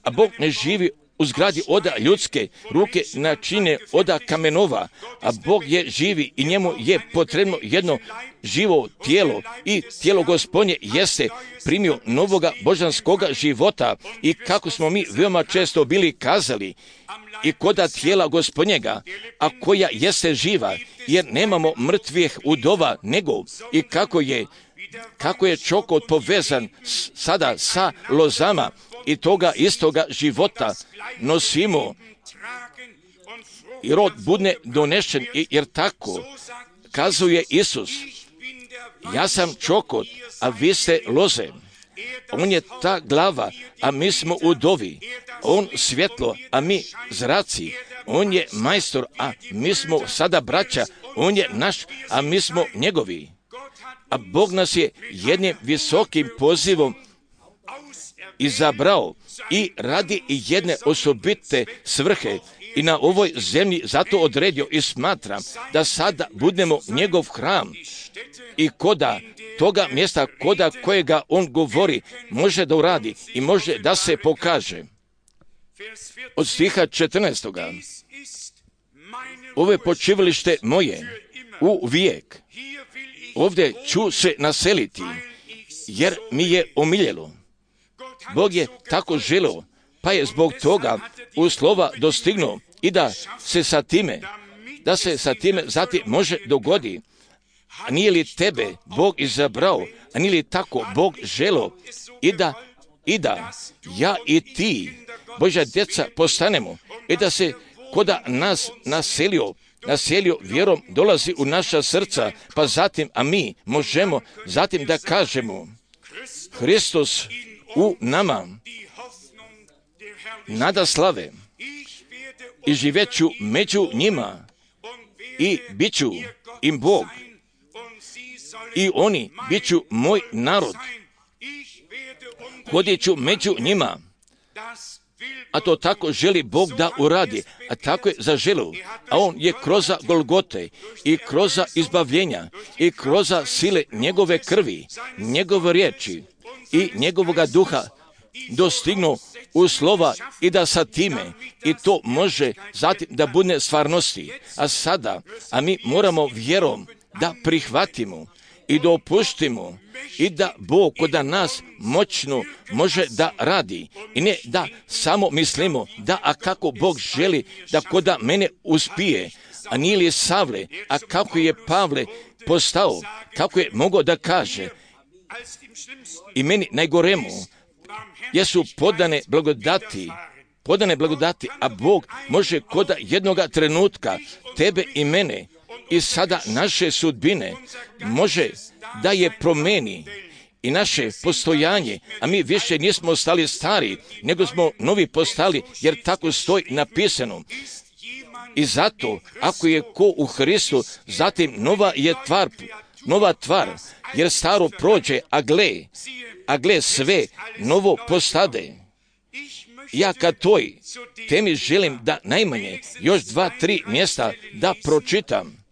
A Bog ne živi u zgradi oda ljudske ruke načine oda kamenova, a Bog je živi i njemu je potrebno jedno živo tijelo i tijelo Gospodnje jeste primio novoga božanskoga života i kako smo mi veoma često bili kazali i koda tijela Gospodnjega, a koja jeste živa, jer nemamo mrtvih udova nego i kako je kako je čokot povezan s, sada sa lozama i toga istoga života nosimo i rod budne donešen, jer tako kazuje Isus, ja sam čokot, a vi ste loze. On je ta glava, a mi smo udovi. On svjetlo, a mi zraci. On je majstor, a mi smo sada braća. On je naš, a mi smo njegovi. A Bog nas je jednim visokim pozivom izabrao i radi jedne osobite svrhe i na ovoj zemlji zato odredio i smatram da sada budemo njegov hram i koda toga mjesta koda kojega on govori može da uradi i može da se pokaže. Od stiha četrnaestog. Ovo je počivalište moje u vijek. Ovdje ću se naseliti, jer mi je omiljelo. Bog je tako želio, pa je zbog toga u slova dostignuo i da se sa time, da se sa time zatim može dogodi. A nije li tebe Bog izabrao, a nije li tako Bog želio i da, i da ja i ti, Božja djeca, postanemo i da se koda nas naselio naselio vjerom, dolazi u naša srca, pa zatim, a mi možemo zatim da kažemo, Hristos u nama, nada slave, i živeću među njima, i bit ću im Bog, i oni bit ću moj narod, hodit ću među njima. A to tako želi Bog da uradi, a tako je zaželio. A On je kroz Golgote i kroz izbavljenja i kroz sile njegove krvi, njegove riječi i njegovoga duha dostignuo u slova i da sa time i to može zatim da bude stvarnosti. A sada, a mi moramo vjerom da prihvatimo i da opustimo i da Bog kod nas moćno može da radi i ne da samo mislimo da a kako Bog želi da kod mene uspije, a nije li Savle, a kako je Pavle postao, kako je mogao da kaže i meni najgoremu jesu podane blagodati, podane blagodati, a Bog može kod jednoga trenutka tebe i mene i sada naše sudbine može da je promeni i naše postojanje, a mi više nismo stali stari, nego smo novi postali, jer tako stoji napisano. I zato, ako je ko u Hristu, zatim nova je tvar, nova tvar, jer staro prođe, a gle, a gle sve novo postade. Ja kad toj temi želim da najmanje još dva, tri mjesta da pročitam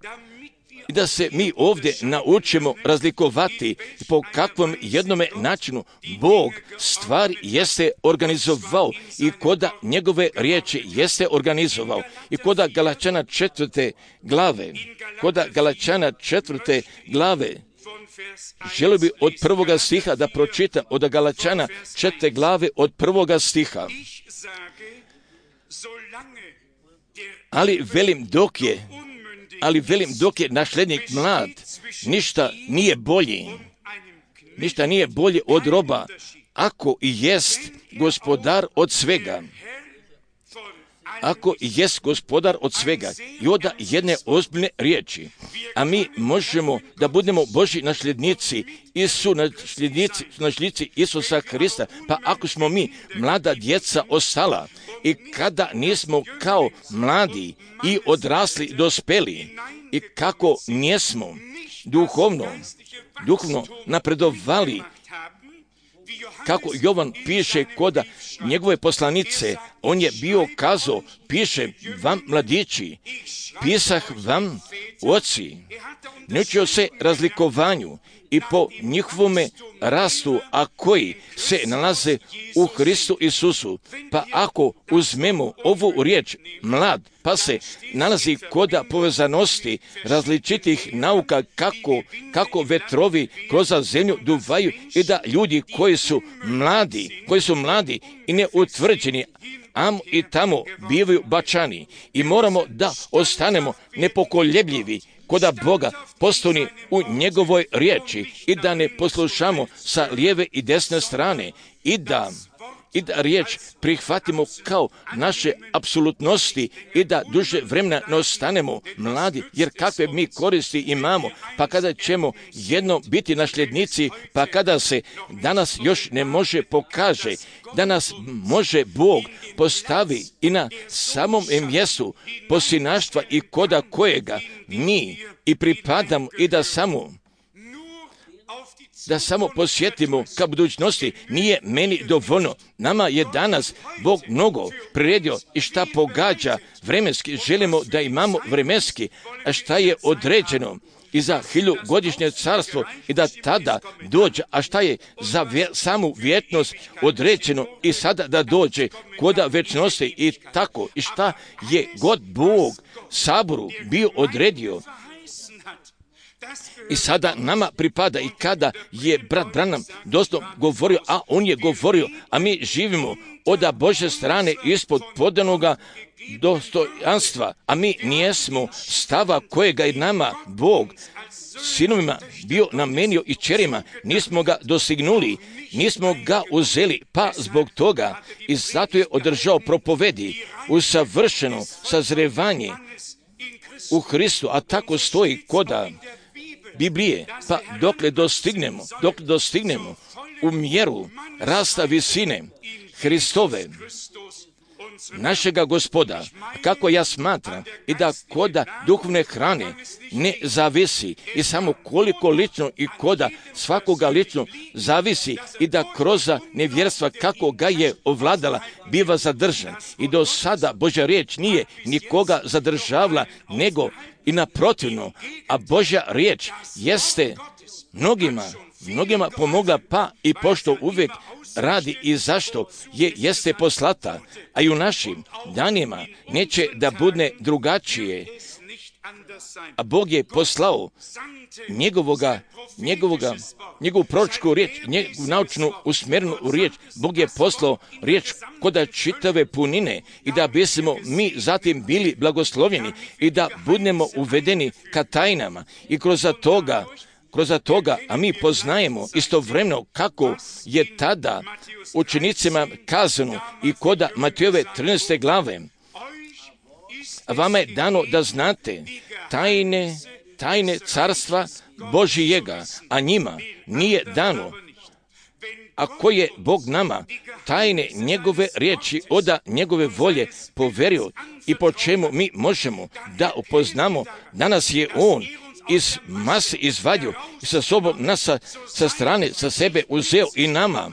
i da se mi ovdje naučimo razlikovati po kakvom jednome načinu Bog stvari jeste organizovao i koda njegove riječi jeste organizovao. I koda Galačana četvrte glave, koda Galačana četvrte glave, želio bi od prvoga stiha da pročitam od Galačana četvrte glave od prvoga stiha. Ali velim dok je, ali velim dok je našlednik mlad, ništa nije bolji, ništa nije bolje od roba, ako i jest gospodar od svega. Ako i jest gospodar od svega, i oda jedne ozbiljne riječi, a mi možemo da budemo Božji nasljednici i su nasljednici, nasljednici Isusa Hrista, pa ako smo mi mlada djeca ostala i kada nismo kao mladi i odrasli dospeli i kako nismo duhovno, duhovno napredovali, kako Jovan piše koda njegove poslanice, on je bio kazao, piše vam mladići, pisah vam oci, naučio se razlikovanju i po njihovome rastu, a koji se nalaze u Hristu Isusu. Pa ako uzmemo ovu riječ mlad, pa se nalazi koda povezanosti različitih nauka kako, kako vetrovi kroz zemlju duvaju i da ljudi koji su mladi, koji su mladi i neutvrđeni, amo i tamo bivaju bačani i moramo da ostanemo nepokoljebljivi koda Boga postoni u njegovoj riječi i da ne poslušamo sa lijeve i desne strane i da i da riječ prihvatimo kao naše apsolutnosti i da duže vremena ne ostanemo mladi, jer kakve mi koristi imamo, pa kada ćemo jedno biti nasljednici, pa kada se danas još ne može pokaže, da nas može Bog postavi i na samom mjestu posinaštva i koda kojega mi i pripadamo i da samo da samo posjetimo ka budućnosti, nije meni dovoljno. Nama je danas Bog mnogo priredio i šta pogađa vremenski, želimo da imamo vremenski, a šta je određeno i za hiljugodišnje carstvo i da tada dođe, a šta je za vje, samu vjetnost određeno i sada da dođe koda večnosti i tako, i šta je god Bog saboru bio odredio. I sada nama pripada i kada je brat Branham dosta govorio, a on je govorio, a mi živimo od Božje strane ispod podanoga dostojanstva, a mi nijesmo stava kojega je nama Bog sinovima bio namenio i čerima, nismo ga dosignuli, nismo ga uzeli, pa zbog toga i zato je održao propovedi, usavršeno sazrevanje u Hristu, a tako stoji koda Biblije, pa dokle dostignemo, dokle dostignemo u mjeru rasta visine Hristove, našega Gospoda, kako ja smatram, i da koda duhovne hrane ne zavisi i samo koliko lično i koda svakoga lično zavisi i da kroz nevjerstva kako ga je ovladala biva zadržan. I do sada Božja riječ nije nikoga zadržavala, nego i naprotivno, a Božja riječ jeste mnogima, mnogima pomogla, pa i pošto uvijek radi i zašto je jeste poslata, a i u našim danima neće da bude drugačije. A Bog je poslao njegovoga, njegovoga, njegovu proročku riječ, njegovu naučnu usmjerenu riječ. Bog je poslao riječ koda čitave punine i da bismo mi zatim bili blagoslovljeni i da budemo uvedeni ka tajnama i kroz toga Kroz toga, a mi poznajemo istovremeno kako je tada učenicima kazano i koda Matejove trinaeste glave. Vama je dano da znate tajne, tajne carstva Božijega, a njima nije dano. Ako je Bog nama tajne njegove riječi oda njegove volje poverio i po čemu mi možemo da upoznamo, danas je On iz mase izvadio i sa sobom nas sa, sa strane, sa sebe uzeo i nama,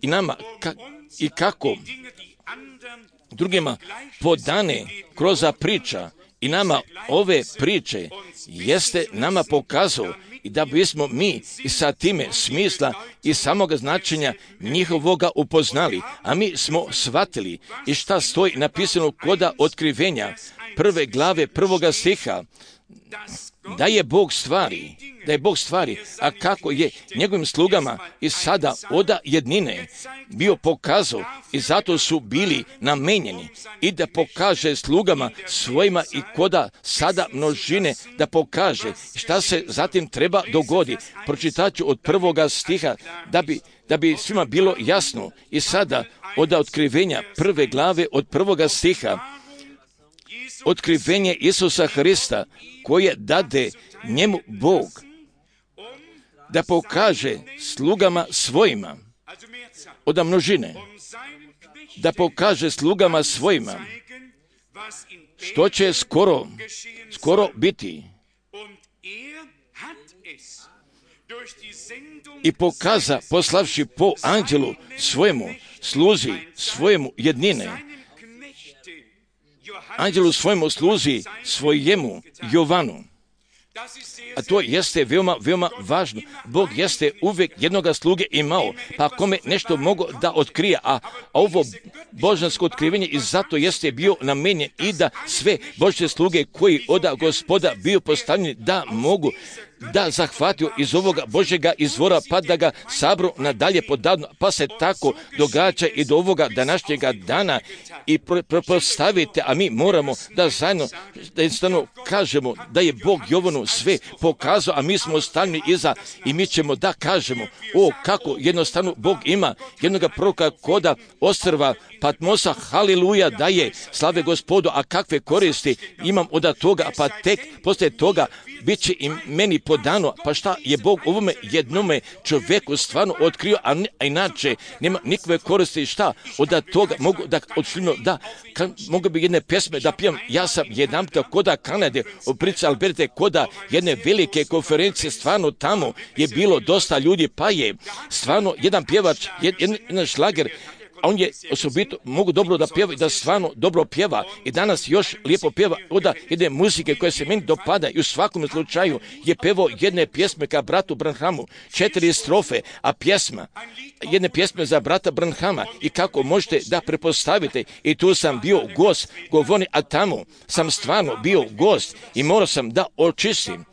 i nama ka, i kako drugima podane kroz priča i nama ove priče jeste nama pokazao i da bismo mi i sa time smisla i samoga značenja njihovoga upoznali, a mi smo shvatili i šta stoji napisano koda otkrivenja prve glave prvoga stiha, da je Bog stvari, da je Bog stvari, a kako je njegovim slugama i sada oda jednine bio pokazao i zato su bili namenjeni i da pokaže slugama svojima i koda sada množine da pokaže šta se zatim treba dogodi. Pročitat ću od prvoga stiha da bi, da bi svima bilo jasno i sada od otkrivenja prve glave od prvoga stiha. Otkrivenje Isusa Hrista koje dade njemu Bog da pokaže slugama svojima od množine, da pokaže slugama svojima što će skoro, skoro biti. I pokaza poslavši po anđelu svojemu, sluzi svojemu jednine, anđelu svojemu sluzi svojemu Jovanu. A to jeste veoma, veoma važno. Bog jeste uvijek jednoga sluge imao, pa kome nešto mogo da otkrije, a, a ovo božansko otkrivenje i zato jeste bio namenjen i da sve Božje sluge koji oda Gospoda bio postavljeni da mogu da zahvatio iz ovoga Božjega izvora pa da ga sabru nadalje podavno, pa se tako događa i do ovoga današnjega dana i pretpostavite, a mi moramo da zajedno da jednostavno kažemo da je Bog Jovanu sve pokazao, a mi smo ostali iza i mi ćemo da kažemo o kako jednostavno Bog ima jednoga proroka koda ostrva Patmosa, haliluja, da je slave Gospodu, a kakve koristi imam od toga, pa tek poslije toga bit će i meni podano, pa šta je Bog ovome jednome čovjeku stvarno otkrio, a, ne, a inače nema nikakve koristi, šta od toga mogu da odšljivno, da kan, mogu bi jedne pjesme da pijem, ja sam jedan puta koda Kanade, u Prince Alberte, koda jedne velike konferencije, stvarno tamo je bilo dosta ljudi, pa je stvarno jedan pjevač, jed, jedan, jedan šlager, a on je osobito, mogu dobro da pjeva i da stvarno dobro pjeva i danas još lijepo pjeva od jedne muzike koje se meni dopada i u svakom slučaju je pevao jedne pjesme ka bratu Branhamu, četiri strofe, a pjesma, jedne pjesme za brata Branhama i kako možete da prepostavite i tu sam bio gost, govorni, a tamo sam stvarno bio gost i morao sam da očistim.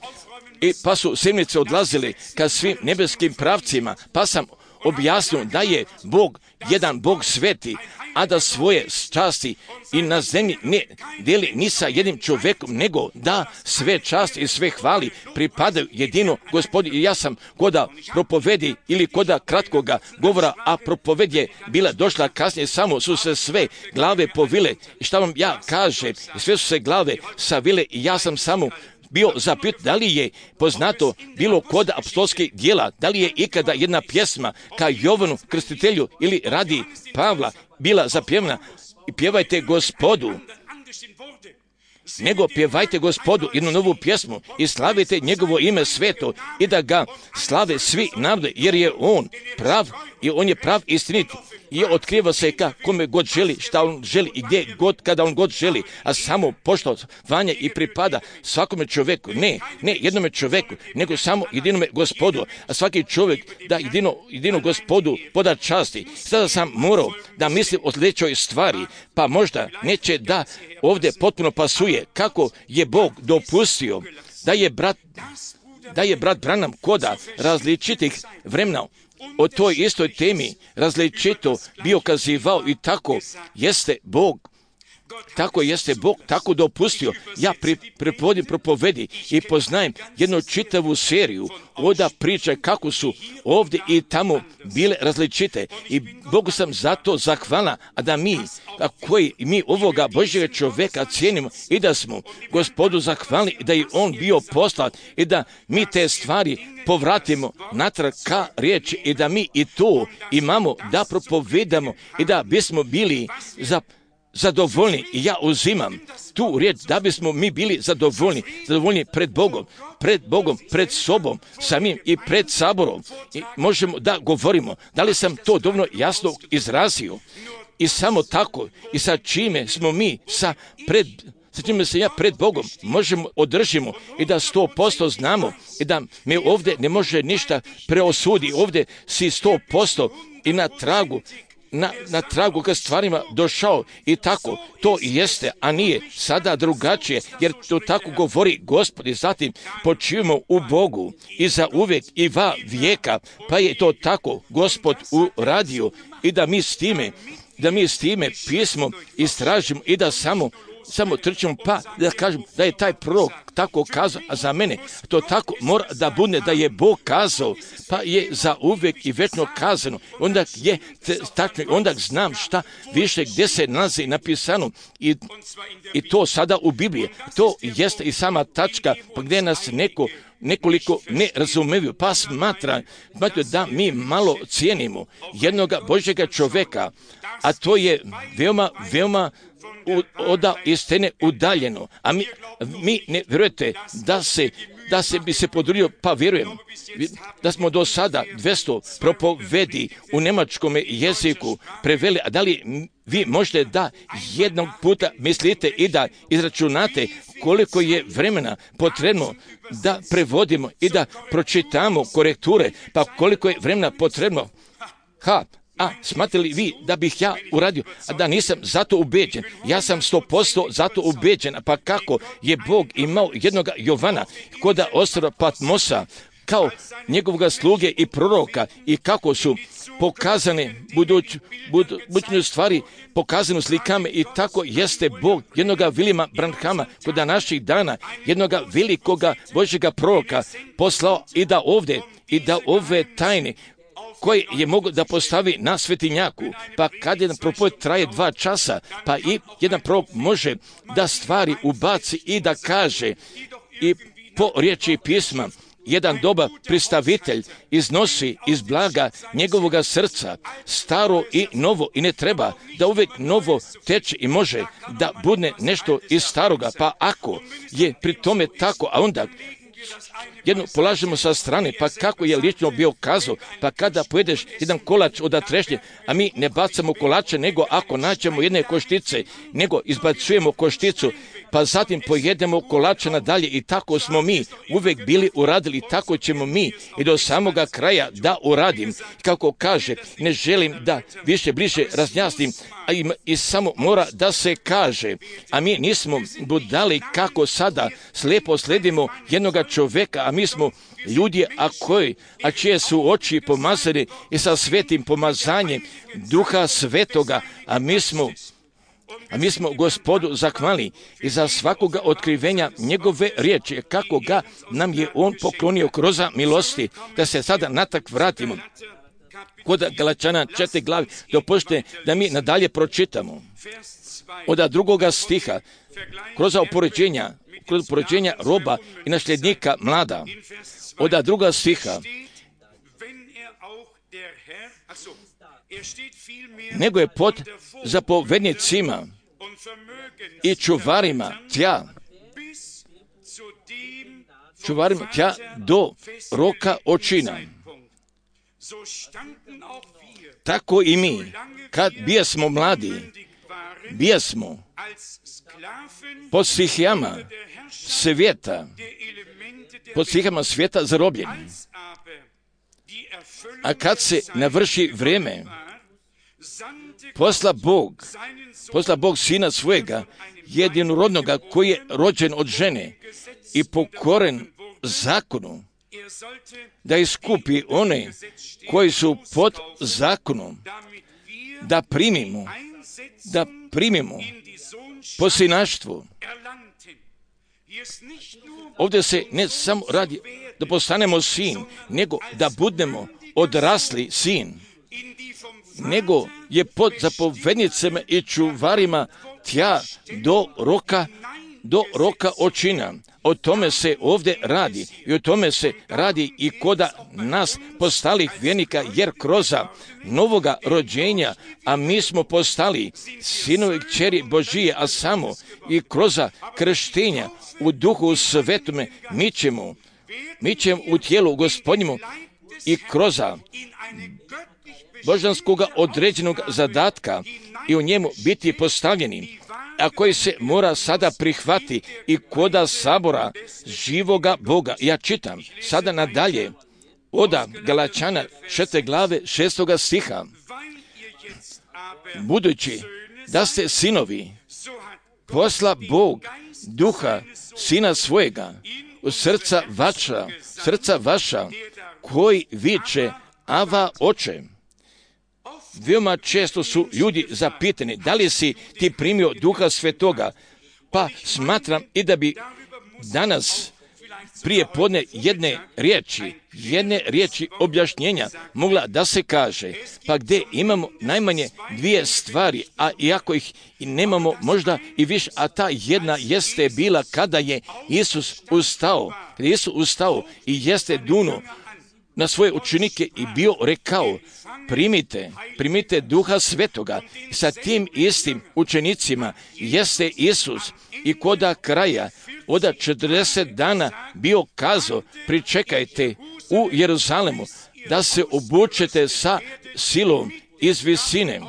I pa su sedmice odlazili ka svim nebeskim pravcima, pa sam objasnio da je Bog jedan Bog sveti, a da svoje časti i na zemlji ne deli ni sa jednim čovjekom, nego da sve časti i sve hvali pripadaju jedino Gospodu. I ja sam koda propovedi ili koda kratkoga govora, a propoved je bila došla kasnije, samo su se sve glave povile. I šta vam ja kažem, sve su se glave savile i ja sam samo bio zapit da li je poznato bilo kod apostolskih djela, da li je ikada jedna pjesma ka Jovanu Krstitelju ili radi Pavla bila zapjevna i pjevajte Gospodu, nego pjevajte Gospodu jednu novu pjesmu i slavite njegovo ime sveto i da ga slave svi narodi, jer je on prav i on je prav istinit i otkriva se ka kome god želi, šta on želi i gdje god, kada on god želi, a samo poštovanje i pripada svakome čovjeku, ne, ne jednome čovjeku, nego samo jedinome Gospodu, a svaki čovjek da jedino, jedino Gospodu poda časti. Sada sam morao da mislim o sljedećoj stvari, pa možda neće da ovdje potpuno pasuje kako je Bog dopustio da je brat, da je brat Branham koda različitih vremena o toj istoj temi različito bio kazivao i tako jeste Bog, tako jeste Bog, tako dopustio. Ja pri, pripodim propovedi i poznajem jednu čitavu seriju oda priče kako su ovdje i tamo bile različite i Bogu sam zato zahvalna, a da mi, a koji mi ovoga Božjega čovjeka cijenimo i da smo Gospodu zahvalni i da je on bio poslat i da mi te stvari povratimo natrag ka riječi i da mi i to imamo da propovedamo i da bismo bili za zadovoljni. I ja uzimam tu riječ da bismo mi bili zadovoljni, zadovoljni pred Bogom, pred Bogom, pred sobom, samim i pred saborom. I možemo da govorimo, da li sam to dovoljno jasno izrazio i samo tako i sa čime smo mi sa pred sa čime se ja pred Bogom možemo održimo i da sto posto znamo i da me ovdje ne može ništa preosudi. Ovdje si sto posto i na tragu Na, na tragu ka stvarima došao i tako to i jeste, a nije sada drugačije, jer to tako govori Gospod i zatim počivamo u Bogu i za uvijek i va vijeka, pa je to tako Gospod uradio i da mi s time, da mi s time pismo istražimo i da samo samo trčimo, pa da kažem da je taj prorok tako kazao, a za mene to tako mora da bude da je Bog kazao, pa je za uvijek i vječno kazano. Onda je tačno, onda znam šta više gdje se nalazi napisano i, i to sada u Bibliji. To jeste i sama tačka, pa gdje nas neko nekoliko ne razumevaju, pa smatra, smatra da mi malo cijenimo jednoga Božjega čovjeka, a to je veoma, veoma u, oda istine udaljeno. A mi, mi ne vjerujete da se da se bi se podrudio, pa vjerujem da smo do sada dvjesto propovedi u njemačkom jeziku preveli, a da li vi možete da jednog puta mislite i da izračunate koliko je vremena potrebno da prevodimo i da pročitamo korekture, pa koliko je vremena potrebno. Ha, a smatrali vi da bih ja uradio, a da nisam zato ubeđen? Ja sam sto posto zato ubeđen, pa kako je Bog imao jednog Jovana koda ostrva Patmosa kao njegovoga sluge i proroka i kako su pokazane buduć, bud, budućne stvari pokazane u slikama i tako jeste Bog jednoga Williama Branhama koda naših dana jednoga velikoga Božjega proroka poslao i da ovdje i da ove tajne koji je mogu da postavi na svetinjaku, pa kad jedan propoved traje dva časa, pa i jedan prorok može da stvari ubaci i da kaže i po riječi pisma, jedan dobar pristavitelj iznosi iz blaga njegovoga srca staro i novo i ne treba da uvijek novo teče i može da bude nešto iz staroga, pa ako je pri tome tako, a onda jedno polažemo sa strane, pa kako je lično bio kazao, pa kada pojedeš jedan kolač od trešnje, a mi ne bacamo kolače, nego ako nađemo jedne koštice, nego izbacujemo košticu, pa zatim pojedemo kolača nadalje i tako smo mi uvijek bili uradili, tako ćemo mi i do samoga kraja da uradim. Kako kaže, ne želim da više bliže razjasnim, a i, i samo mora da se kaže, a mi nismo budali kako sada slijepo sledimo jednoga čovjeka, a mi smo ljudi, a koji, a čije su oči pomazane i sa svetim pomazanjem Duha Svetoga, a mi smo A mi smo Gospodu zahvali i za svakoga otkrivenja njegove riječi, kako ga nam je on poklonio kroz milosti, da se sada natak vratimo. Kod Galačana četiri glavi, dopustite da mi nadalje pročitamo. Od drugoga stiha, kroz upoređenja, kroz upoređenja roba i nasljednika mlada. Od druga stiha, nego je pod zapovednicima i čuvarima tja, čuvarima tja do roka očina. Tako i mi, kad bijesmo mladi, bijesmo pod stihijama svijeta, pod stihijama svijeta zarobljeni. A kad se navrši vrijeme, posla Bog, posla Bog sina svojega, jedinorodnoga koji je rođen od žene i pokoren zakonu, da iskupi one koji su pod zakonom, da primimo, da primimo po sinaštvu. Ovdje se ne samo radi da postanemo sin, nego da budemo odrasli sin, nego je pod zapovednicama i čuvarima tja do roka, do roka očina. O tome se ovdje radi i o tome se radi i koda nas postalih vjernika, jer kroz novoga rođenja, a mi smo postali sinovi kćeri Božije, a samo i kroz krštenja u Duhu Svetome mi ćemo, mi ćemo u tijelu Gospodnjemu i kroz božanskoga određenog zadatka i u njemu biti postavljeni, a koji se mora sada prihvati i koda sabora živoga Boga. Ja čitam sada nadalje od Galačana četiri glave šestoga stiha. Budući da ste sinovi, posla Bog duha sina svojega u srca vaša, srca vaša, koji viče Ava oče. Veoma često su ljudi zapitani, da li si ti primio Duha Svetoga? Pa smatram i da bi danas prije podne jedne riječi, jedne riječi objašnjenja mogla da se kaže, pa gdje imamo najmanje dvije stvari, a iako ih i nemamo možda i više, a ta jedna jeste bila kada je Isus ustao, kada je Isus ustao i jeste dunuo na svoje učenike i bio rekao, primite, primite Duha Svetoga. Sa tim istim učenicima jeste Isus i koda kraja od četrdeset dana bio kazao, pričekajte u Jeruzalemu da se obučete sa silom iz visine,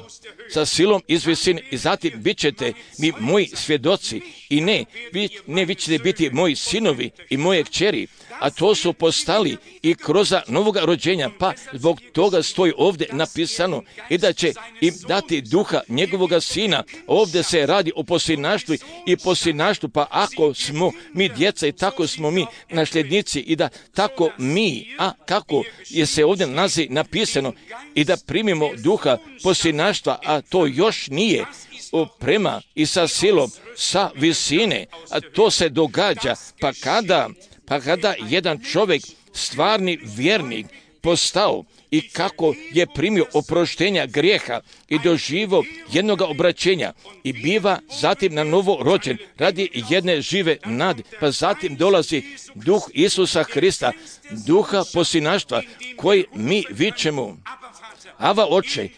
sa silom iz visine i zatim bit ćete mi moji svjedoci i ne, vi, ne vi ćete biti moji sinovi i moje kćeri, a to su postali i kroz novoga rođenja, pa zbog toga stoji ovdje napisano i da će im dati duha njegovoga sina. Ovdje se radi o posinaštvu i posinaštvu, pa ako smo mi djeca i tako smo mi nasljednici i da tako mi, a kako je se ovdje nalazi napisano i da primimo duha posinaštva, a to još nije oprema i sa silom, sa visine, a to se događa, pa kada Pa kada jedan čovjek, stvarni vjernik, postao i kako je primio oproštenja grijeha i doživo jednog obraćenja i biva zatim na novo rođen radi jedne žive nade, pa zatim dolazi duh Isusa Hrista, duha posinaštva koji mi vičemo Ava oče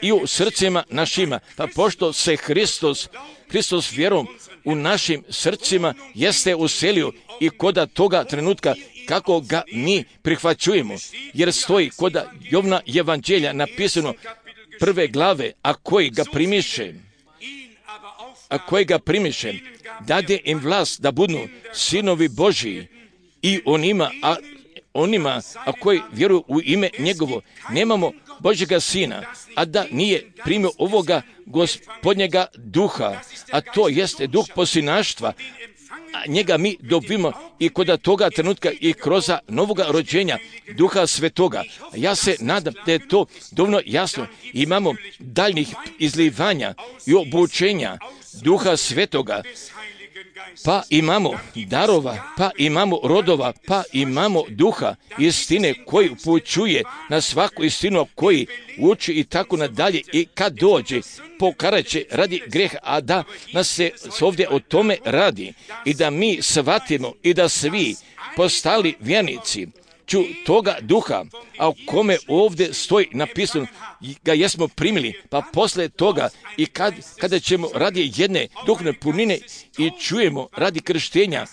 i u srcima našima, pa pošto se Hristos, Hristos vjerom u našim srcima jeste uselio i koda toga trenutka kako ga mi prihvaćujemo, jer stoji koda Jovna evanđelja napisano prve glave, a koji ga primiše a kojega primiše, dade im vlast da budu sinovi Božiji i onima, a onima a koji vjeruju u ime njegovo. Nemamo Božjega Sina, a da nije primio ovoga Gospodnjega duha, a to jeste duh posinaštva, a njega mi dobimo i kod toga trenutka i kroz novoga rođenja Duha Svetoga. Ja se nadam da je to dovoljno jasno. Imamo daljnjih izlivanja i obučenja Duha Svetoga, pa imamo darova, pa imamo rodova, pa imamo duha istine koji upućuje na svaku istinu, koji uči i tako nadalje, i kad dođe pokaraće radi greha, a da nas se ovdje o tome radi i da mi shvatimo i da svi postali vjernici ću toga duha, a o kome ovdje stoji napisano, ga jesmo primili, pa posle toga i kad, kada ćemo radi jedne duhovne punine i čujemo radi krštenja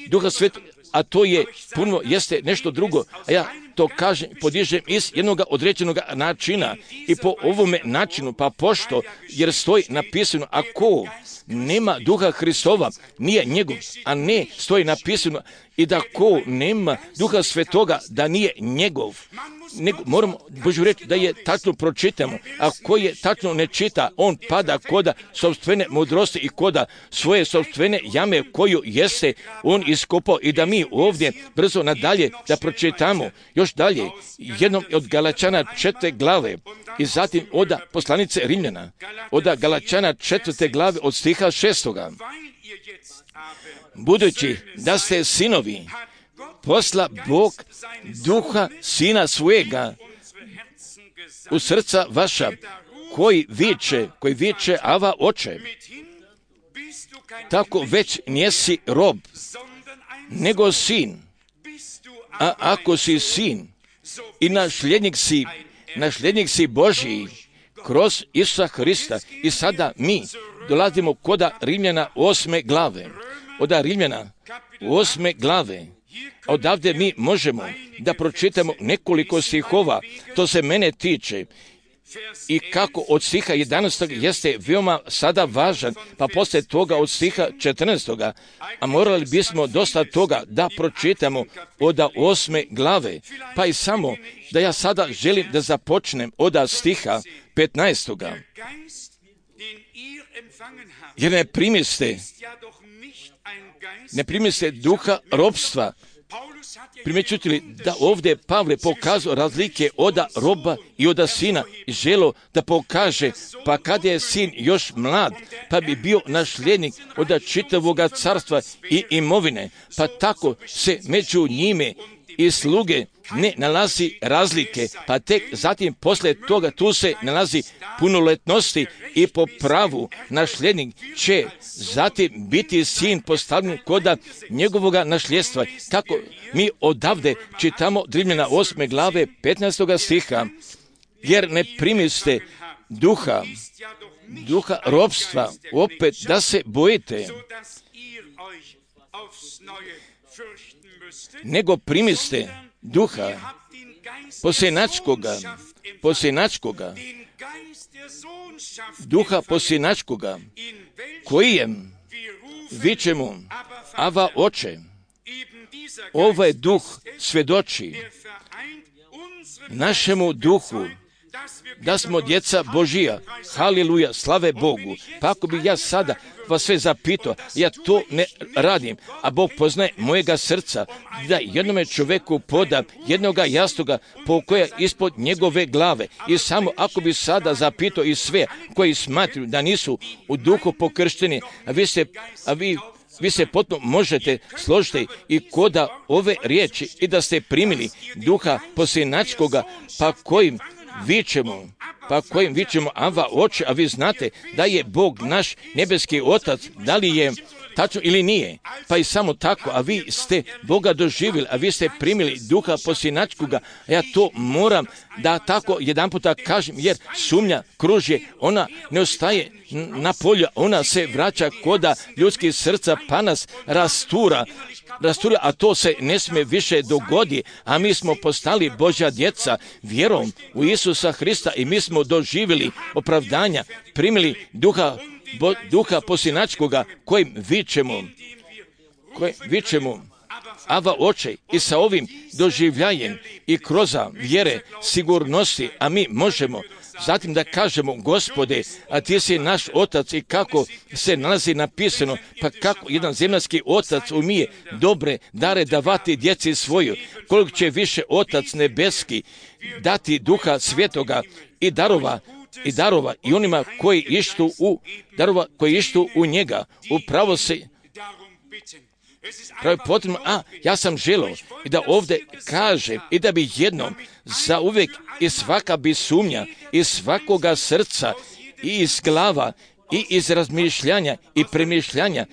Duha Svetog, a to je puno, jeste nešto drugo, a ja to kažem, podižem iz jednog određenog načina i po ovome načinu, pa pošto, jer stoji napisano, ako nema Duha Hristova, nije njegov, a ne stoji napisano i da ko nema Duha Svetoga, da nije njegov. Nego, moramo Božju reći da je tačno pročitamo, a ko je tačno ne čita, on pada koda sopstvene mudrosti i koda svoje sopstvene jame koju jeste on iskopao, i da mi ovdje brzo nadalje da pročitamo još dalje jednom od Galačana četvrte glave i zatim oda poslanice Rimljana, oda Galačana četvrte glave od stiha šestoga. Budući da ste sinovi, posla Bog duha sina svojega u srca vaša, koji viče, koji viče Ava oče. Tako već njesi rob, nego sin. A ako si sin i nasljednik si, nasljednik si Božiji kroz Isusa Hrista. I sada mi dolazimo koda Rimljana osme glave. Oda Rimljana osme glave. Odavde mi možemo da pročitamo nekoliko stihova, to se mene tiče, i kako od stiha jedanaestog jeste veoma sada važan, pa poslije toga od stiha četrnaestog. A morali bismo dosta toga da pročitamo od osme glave, pa i samo da ja sada želim da započnem od stiha petnaestog. Jer ne primiste, ne primiste duha ropstva. Primjećujete li da ovdje Pavle pokazao razlike od roba i od sina i želo da pokaže, pa kad je sin još mlad, pa bi bio nasljednik od čitavog carstva i imovine, pa tako se među njime i sluge ne nalazi razlike, pa tek zatim posle toga tu se nalazi punoletnosti i po pravu nasljednik će zatim biti sin postavljen koda njegovoga nasljedstva. Kako mi odavde čitamo Rimljana osme glave petnaestog stiha, jer ne primiste duha, duha ropstva, opet da se bojite, nego primiste duha posjenačkoga, posjenačkoga, duha posjenačkoga, kojem vičemo Ava oče. Ovaj duh svjedoči našemu duhu da smo djeca Božija. Haleluja, slave Bogu. Pa ako bi ja sada vas sve zapitao, ja to ne radim, a Bog poznaje mojega srca, da jednome čovjeku poda jednoga jastoga po koja ispod njegove glave. I samo ako bi sada zapitao i sve koji smatruju da nisu u duhu pokršteni, a vi se, a vi Vi se potpuno možete složiti i koda ove riječi i da ste primili duha posjenačkoga, pa kojim vičemo, pa kojim vičemo Ava oče, a vi znate da je Bog naš nebeski otac, da li je tačno ili nije, pa i samo tako, a vi ste Boga doživjeli, a vi ste primili duha posjenačkoga, a ja to moram da tako jedan puta kažem, jer sumnja kružje, ona ne ostaje na polju, ona se vraća koda ljudskih srca, pa nas rastura, rastura, a to se ne smije više dogodi, a mi smo postali Božja djeca vjerom u Isusa Hrista i mi smo doživjeli opravdanja, primili duha bo, duha posljednačkoga kojim vičemo, kojim vičemo Ava oče, i sa ovim doživljajem i kroz vjere sigurnosti, a mi možemo zatim da kažemo, Gospode, a ti si naš otac, i kako se nalazi napisano, pa kako jedan zemaljski otac umije dobre dare davati djeci svoju, koliko će više otac nebeski dati duha svetoga i darova i darova i onima koji ištu u darova koji ištu u njega. Upravo se pravi potrebno, a ja sam želio i da ovdje kaže i da bi jednom za uvijek i svaka bi sumnja iz svakoga srca i iz glava i iz razmišljanja i premišljanja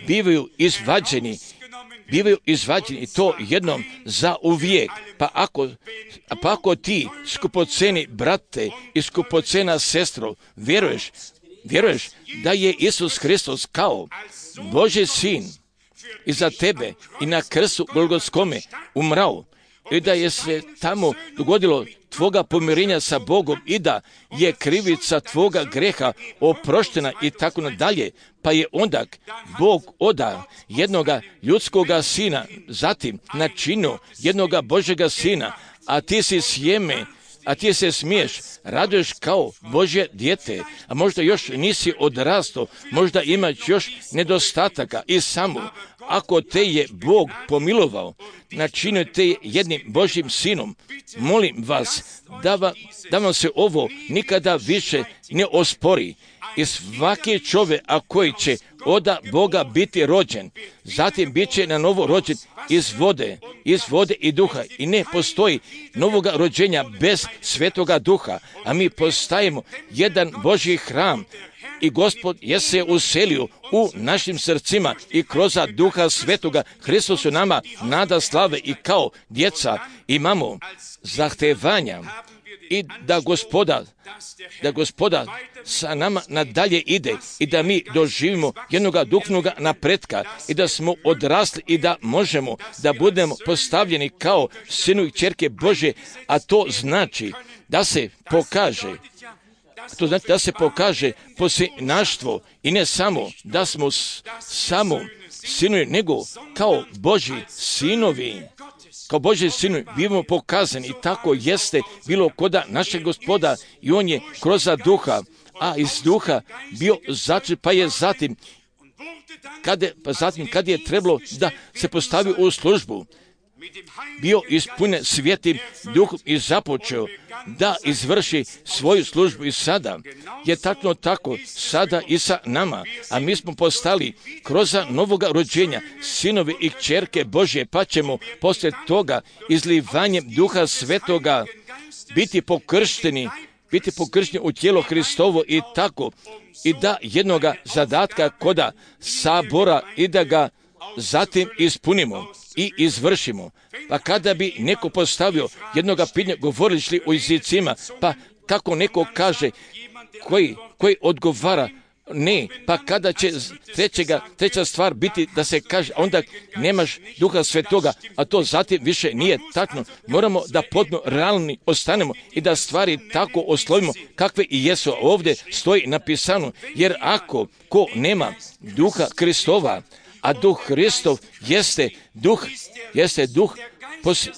bivaju izvađeni, bivaju izvađeni i to jednom za uvijek. Pa ako, pa ako ti, skupoceni brate i skupocena sestro, vjeruješ, vjeruješ da je Isus Hristos kao Božji sin i za tebe i na krstu Golgotskome umrao, i da je se tamo dogodilo tvoga pomirenja sa Bogom i da je krivica tvoga greha oproštena i tako nadalje, pa je onda Bog oda jednoga ljudskoga sina, zatim načinio jednoga Božjega sina, a ti si sjeme, a ti se smiješ, raduješ kao Božje dijete, a možda još nisi odrastao, možda imaš još nedostataka i samo ako te je Bog pomilovao, načinio te jednim Božjim sinom, molim vas da, va, da vam se ovo nikada više ne ospori. I svaki čovjek, a koji će oda Boga biti rođen, zatim bit će na novo rođen iz vode, iz vode i duha. I ne postoji novoga rođenja bez svetoga duha, a mi postajemo jedan Božji hram. I Gospod je se uselio u našim srcima i kroz duha svetoga Hristos u nama nada slave i kao djeca imamo zahtevanja i da gospoda, da gospoda sa nama nadalje ide i da mi doživimo jednoga duhovnoga napretka i da smo odrasli i da možemo da budemo postavljeni kao sinu i kćerke Božje, a to znači da se pokaže To znači da se pokaže posljednaštvo i ne samo da smo s, samo sinovi, nego kao Božji sinovi. Kao Božji sinovi bivamo pokazani i tako jeste bilo koda našeg Gospoda i on je kroz duha, a iz duha bio začet, pa je zatim, kad je, pa zatim kad je trebalo da se postavi u službu, bio ispunjen Svätim Duhom i započeo da izvrši svoju službu i sada je tačno tako, sada i sa nama, a mi smo postali kroz novoga rođenja sinovi i kćerke Božje, pa ćemo poslije toga izlivanjem Duha Svetoga biti pokršteni, biti pokršteni u tijelo Hristovo i tako, i da jednoga zadatka koda sabora i da ga zatim ispunimo i izvršimo. Pa kada bi neko postavio jednoga pitanja, govorili o jezicima, pa kako neko kaže koji, koji odgovara ne, pa kada će trećega, treća stvar biti da se kaže, onda nemaš Duha Svetoga, a to zatim više nije tačno. Moramo da potpuno realni ostanemo i da stvari tako oslovimo kakve i jesu. Ovdje stoji napisano, jer ako ko nema Duha Kristova, a Duh Hristov jeste duh, jeste duh pos,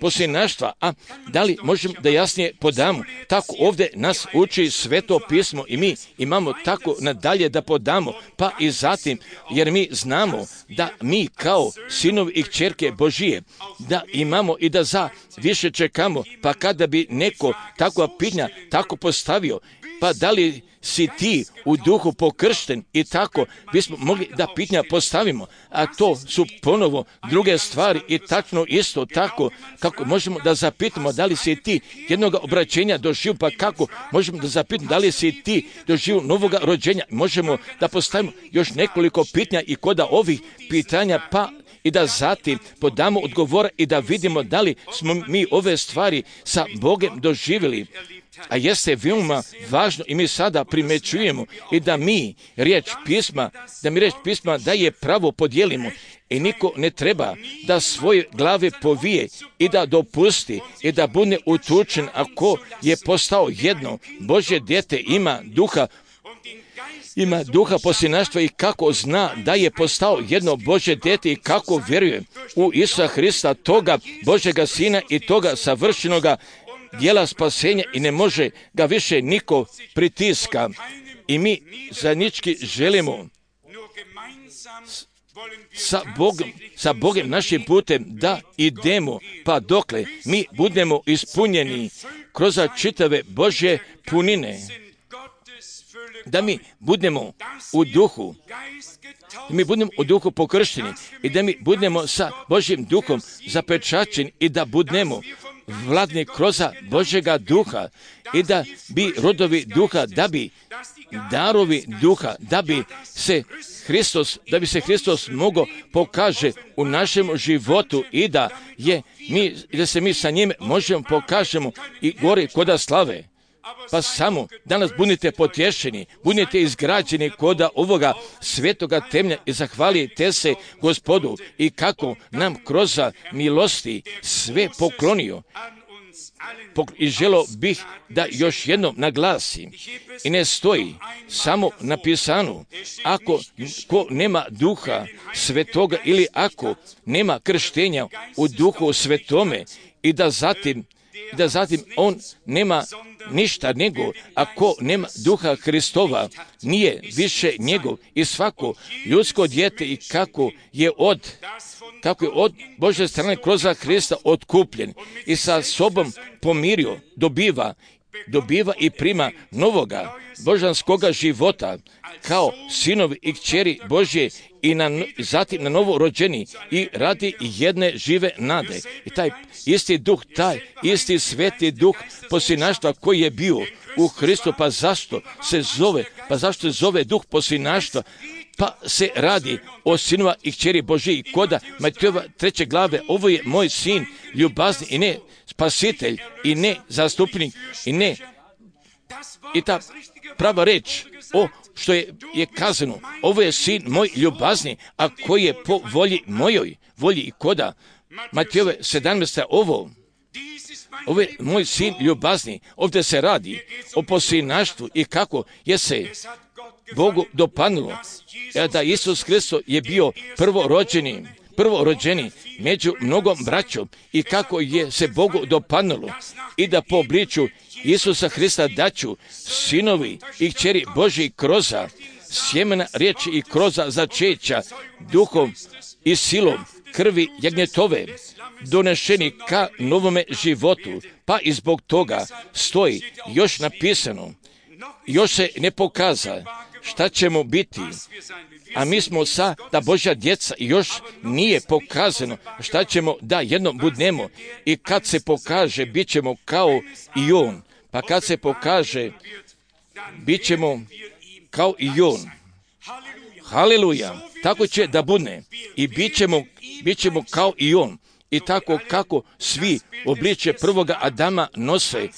posljednaštva. A da li možemo da jasnije podamo? Tako ovdje nas uči Sveto pismo i mi imamo tako nadalje da podamo, pa i zatim, jer mi znamo da mi kao sinovi i kćerke Božije, da imamo i da za više čekamo, pa kada bi neko takva pitanja tako postavio, pa da li si ti u duhu pokršten i tako bismo mogli da pitanja postavimo, a to su ponovo druge stvari i tačno isto tako kako možemo da zapitamo da li si ti jednoga obraćenja doživio, pa kako možemo da zapitamo da li si ti doživio novoga rođenja, možemo da postavimo još nekoliko pitanja i koda ovih pitanja, pa i da zatim podamo odgovore i da vidimo da li smo mi ove stvari sa Bogom doživjeli. A jeste veoma važno i mi sada primećujemo i da mi riječ pisma, da mi riječ pisma da je pravo podijelimo i niko ne treba da svoje glave povije i da dopusti i da bude utučen ako je postao jedno Božje dijete, ima duha ima duha posljednaštva i kako zna da je postao jedno Božje dijete i kako vjeruje u Isusa Hrista, toga Božjega Sina i toga savršenoga djela spasenja i ne može ga više niko pritiska. I mi zajednički želimo sa Bogom, sa Bogom našim putem da idemo, pa dokle mi budemo ispunjeni kroz čitave Božje punine, da mi budemo u duhu, da mi budemo u duhu pokršteni i da mi budemo sa Božjim duhom zapečačeni i da budemo vladni kroz Božjega duha i da bi rodovi duha, da bi darovi duha, da bi se Hristos, da bi se Hristos mogao pokaže u našem životu i da je mi, da se mi sa njim možemo pokažemo i gore koda slave. Pa samo danas budite potješeni, budite izgrađeni koda ovoga svetoga temlja i zahvalite se Gospodu i kako nam kroz milosti sve poklonio. I želo bih da još jednom naglasim i ne stoji samo napisano, ako ko nema duha svetoga ili ako nema krštenja u duhu svetome i da zatim da zatim on nema ništa nego, ako nema duha Hristova, nije više njegov i svako ljudsko dijete i kako je od kako je od Božje strane kroz Hrista otkupljen i sa sobom pomirio, dobiva, dobiva i prima novoga božanskoga života kao sinovi i kćeri Božje i na, zatim na novo rođeni i radi jedne žive nade. I taj isti duh, taj isti sveti duh posljednaštva koji je bio u Hristu, pa zašto se zove, pa zašto se zove duh posljednaštva? Pa se radi o sinova i kćeri Božji i koda Matejova treće glave, ovo je moj sin ljubazni i ne spasitelj i ne zastupnik i ne i ta prava reč o što je, je kazano, ovo je sin moj ljubazni, a koji je po volji mojoj, volji i koda Matejove sedamnaeste ovo, ovo je moj sin ljubazni, ovdje se radi o posljednaštvu i kako je se Bogu dopadnulo da Isus Hristos je bio prvorođeni, prvorođeni među mnogom braćom i kako je se Bogu dopadnulo i da po obličju Isusa Hrista daću sinovi i kćeri Božji kroza sjemena riječi i kroza začeća duhom i silom krvi jagnjetove donešeni ka novome životu, pa i zbog toga stoji još napisano, još se ne pokaza šta ćemo biti, a mi smo sa da Božja djeca još nije pokazano šta ćemo da jednom budnemo i kad se pokaže bit ćemo kao i on, pa kad se pokaže bit ćemo kao i on. Haleluja, tako će da budne i bit ćemo, bit ćemo kao i on. I tako kako svi obličje prvoga Adama nose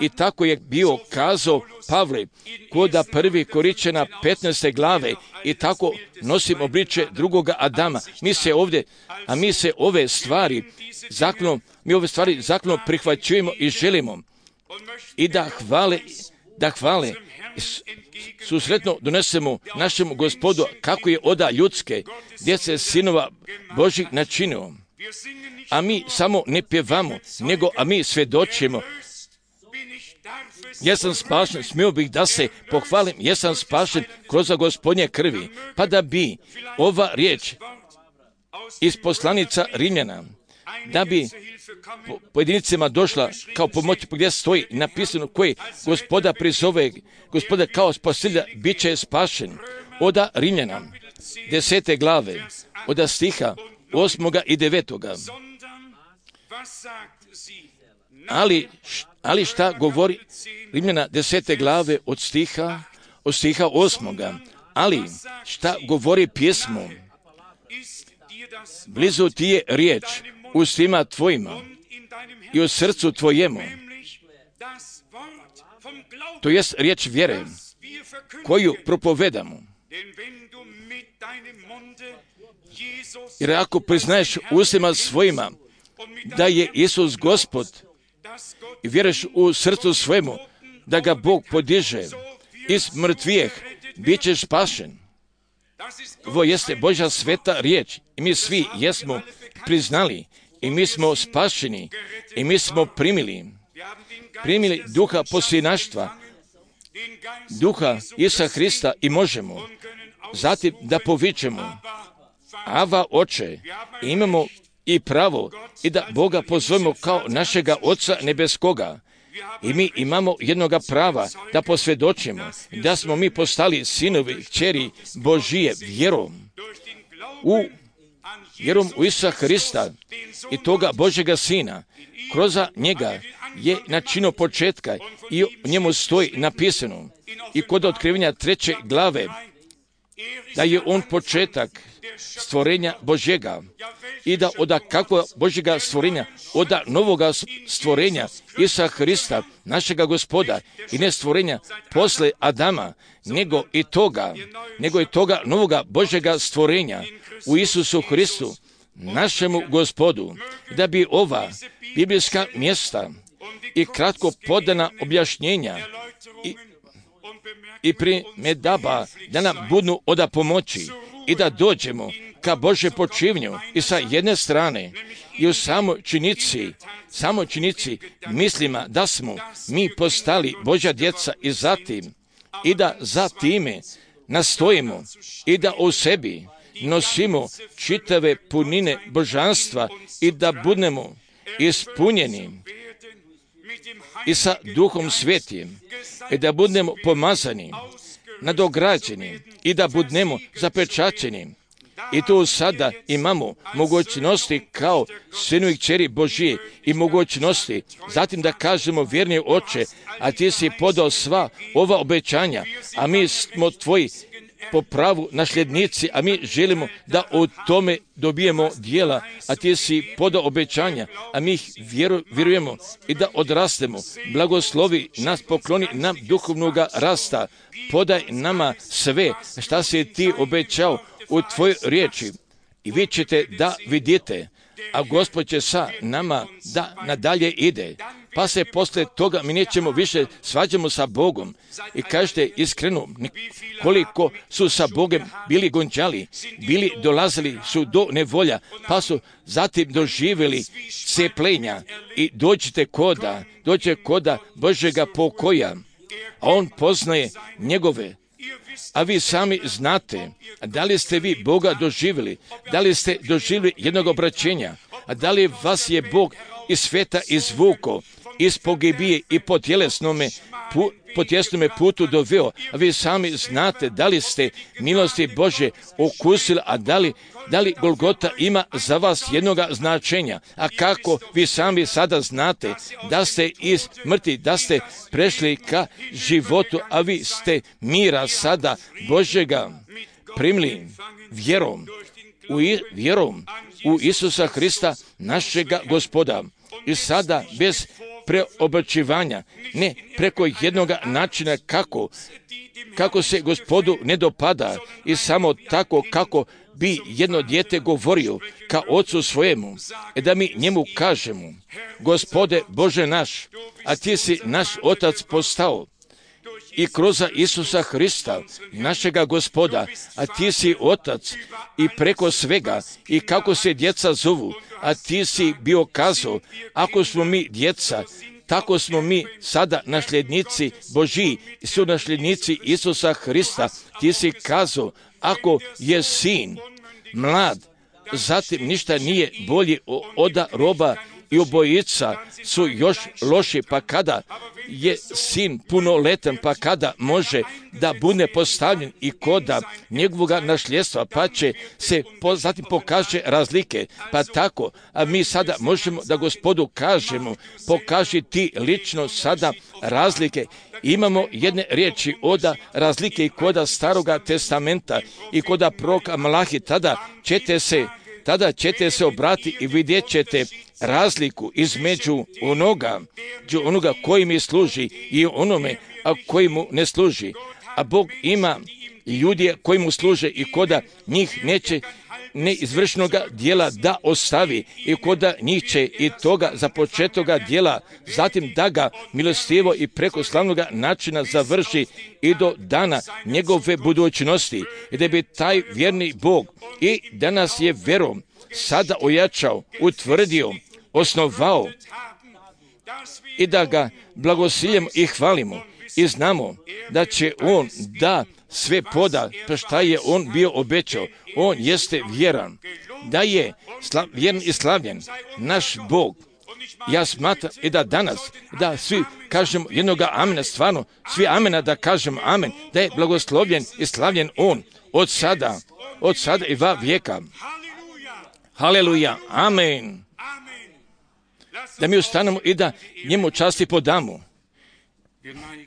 i tako je bio kazao Pavle koda prvi Koričana petnaeste glave i tako nosim obličje drugoga Adama. Mi se ovdje, a mi se ove stvari zakonom, mi ove stvari zakonom prihvaćujemo i želimo i da hvale, da hvale susretno donesemo našemu Gospodu kako je oda ljudske djece sinova Božjih načinio. A mi samo ne pjevamo, nego a mi svjedočimo. Jesam spašen, smio bih da se pohvalim, jesam spašen kroz Gospodnje krvi, pa da bi ova riječ iz poslanica Rimljana, da bi po pojedinicima došla kao pomoć gdje stoji napisano koji Gospoda prizove, Gospoda kao spasitelja bit će spašen. Oda Rimljana, desete glave, oda stiha osmoga i devetoga. Ali, ali šta govori Rimljana desete glave od stiha, od stiha osmoga. Ali šta govori pjesmo? Blizu ti je riječ u svima tvojima i u srcu tvojemu. To jest riječ vjere koju propovedamo. Jer ako priznaješ ustima svojima da je Isus Gospod i vjeruješ u srcu svojemu da ga Bog podiže iz mrtvijeh, bit ćeš spašen. Ovo jeste Božja sveta riječ i mi svi jesmo priznali i mi smo spašeni i mi smo primili, primili duha posljednaštva, duha Isusa Hrista i možemo zatim da povičemo Ava Oče, i imamo i pravo i da Boga pozovemo kao našega Oca nebeskoga. I mi imamo jednoga prava da posvjedočimo da smo mi postali sinovi, kćeri Božije vjerom u, vjerom u Isusa Hrista i toga Božjega Sina. Kroz njega je načino početka i u njemu stoji napisano i kod otkrivenja treće glave da je on početak stvorenja Božjega i da od kakvog Božjega stvorenja, od novoga stvorenja Isusa Hrista, našega Gospoda, i ne stvorenja posle Adama, nego i toga, nego i toga novoga Božjega stvorenja u Isusu Hristu, našemu Gospodu, da bi ova biblijska mjesta i kratko podana objašnjenja i, i primjedaba da nam budu od pomoći i da dođemo ka Božje počivnju i sa jedne strane i u samoj činici, samoj činici mislima da smo mi postali Božja djeca i zatim i da za time nastojimo i da u sebi nosimo čitave punine božanstva i da budemo ispunjeni i sa Duhom Svetim i da budemo pomazani, nadograđeni i da budemo zapečaćeni. I tu sada imamo mogućnosti kao sinu i kćeri Božije i mogućnosti zatim da kažemo vjerni Oče, a ti si podao sva ova obećanja, a mi smo tvoji po pravu nasljednici, a mi želimo da u tome dobijemo dijela, a ti si podao obećanja, a mi ih vjeru, vjerujemo i da odrastemo. Blagoslovi nas, pokloni nam duhovnoga rasta, podaj nama sve šta si ti obećao u tvojoj riječi i vi ćete da vidite, a Gospod će sa nama da nadalje ide. Pa se posle toga mi nećemo više svađamo sa Bogom. I kažete iskreno, koliko su sa Bogom bili gonđali, bili dolazili su do nevolja, pa su zatim doživjeli cepljenja i dođite koda, dođe koda Božjega pokoja, a on poznaje njegove. A vi sami znate, da li ste vi Boga doživjeli, da li ste doživjeli jednog obraćenja, a da li vas je Bog iz sveta izvuko, iz pogibije i po tjelesnome, pu, po tjelesnome putu doveo, a vi sami znate da li ste milosti Bože okusili, a da li, da li Golgota ima za vas jednoga značenja, a kako vi sami sada znate da ste iz mrtvi, da ste prešli ka životu, a vi ste mira sada Božjega primili vjerom, u, vjerom u Isusa Hrista, našega Gospoda. I sada bez preobraćivanja, ne preko jednog načina kako, kako se Gospodu ne dopada i samo tako kako bi jedno dijete govorio ka ocu svojemu, i da mi njemu kažemo, Gospode Bože naš, a ti si naš otac postao i kroz Isusa Hrista, našega Gospoda, a ti si otac i preko svega i kako se djeca zovu, a ti si bio kazao, ako smo mi djeca, tako smo mi sada nasljednici Božji, su nasljednici Isusa Hrista. Ti si kazao, ako je sin mlad, zatim ništa nije bolje od roba i obojica su još loši, pa kada je sin punoletan, pa kada može da bude postavljen i koda njegovoga nasljedstva, pa će se po, zatim pokaže razlike, pa tako, a mi sada možemo da Gospodu kažemo, pokaži ti lično sada razlike. Imamo jedne riječi od razlike i koda Staroga testamenta i koda proroka Malahi, tada ćete se tada ćete se obrati i vidjet ćete razliku između onoga, onoga koji mi služi i onome a koji mu ne služi. A Bog ima ljudi koji mu služe i koda njih neće neizvršenoga dijela da ostavi i koda njih će i toga započetoga dijela, zatim da ga milostivo i preko slavnoga načina završi i do dana njegove budućnosti, i da bi taj vjerni Bog i danas je verom sada ojačao, utvrdio, osnovao, i da ga blagosiljemo i hvalimo i znamo da će on da sve poda, pa šta je on bio obećao. On jeste vjeran, da je sla, vjeran i slavljen naš Bog. Ja smatram i da danas, da svi kažemo jednoga amena, stvarno, svi amena da kažemo amen, da je blagoslovljen i slavljen on od sada, od sada i va vijeka. Haleluja, amen. Da mi ustanemo i da njemu časti podamo.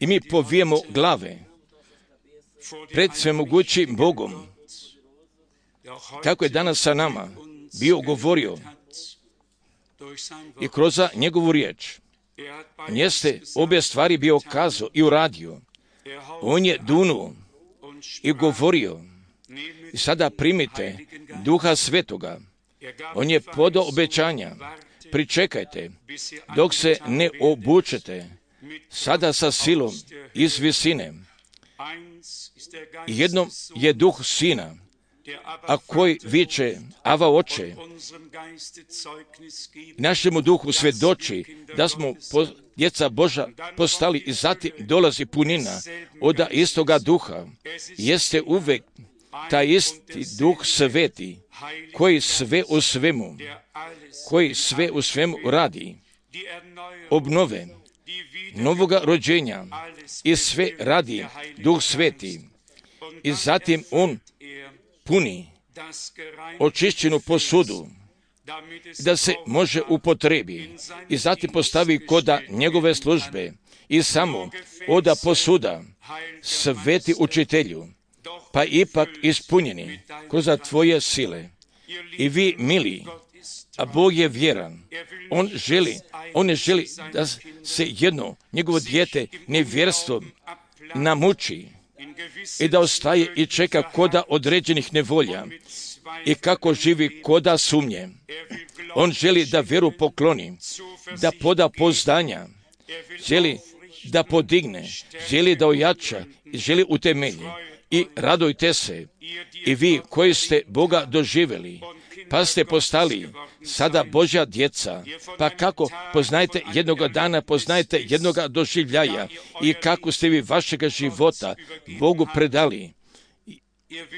I mi povijemo glave pred svemogućim Bogom, kako je danas sa nama bio govorio i kroz njegovu riječ. On jeste obje stvari bio kazao i uradio. On je dunuo i govorio. I sada primite Duha Svetoga. On je podao obećanja. Pričekajte dok se ne obučete sada sa silom iz visine. Jednom je duh sina, a koji viče Ava oče, našemu duhu svjedoči da smo po, djeca Boža postali, i zatim dolazi punina od istoga duha. Jeste uvek taj isti duh sveti, koji sve u svemu, koji sve u svemu radi, obnove, novoga rođenja, i sve radi duh sveti. I zatim on puni očišćenu posudu da se može upotrebi, i zatim postavi koda njegove službe i samo oda posuda sveti učitelju, pa ipak ispunjeni kroz tvoje sile. I vi, mili, a Bog je vjeran. On želi, on ne želi da se jedno njegovo dijete nevjerstvom namuči i da ostaje i čeka koda određenih nevolja i kako živi koda sumnje. On želi da vjeru pokloni, da poda poznanja, želi da podigne, želi da ojača i želi utemelji. I radujte se, i vi koji ste Boga doživjeli, pa ste postali sada Božja djeca, pa kako poznajete jednoga dana, poznajete jednoga doživljaja, i kako ste vi vašega života Bogu predali.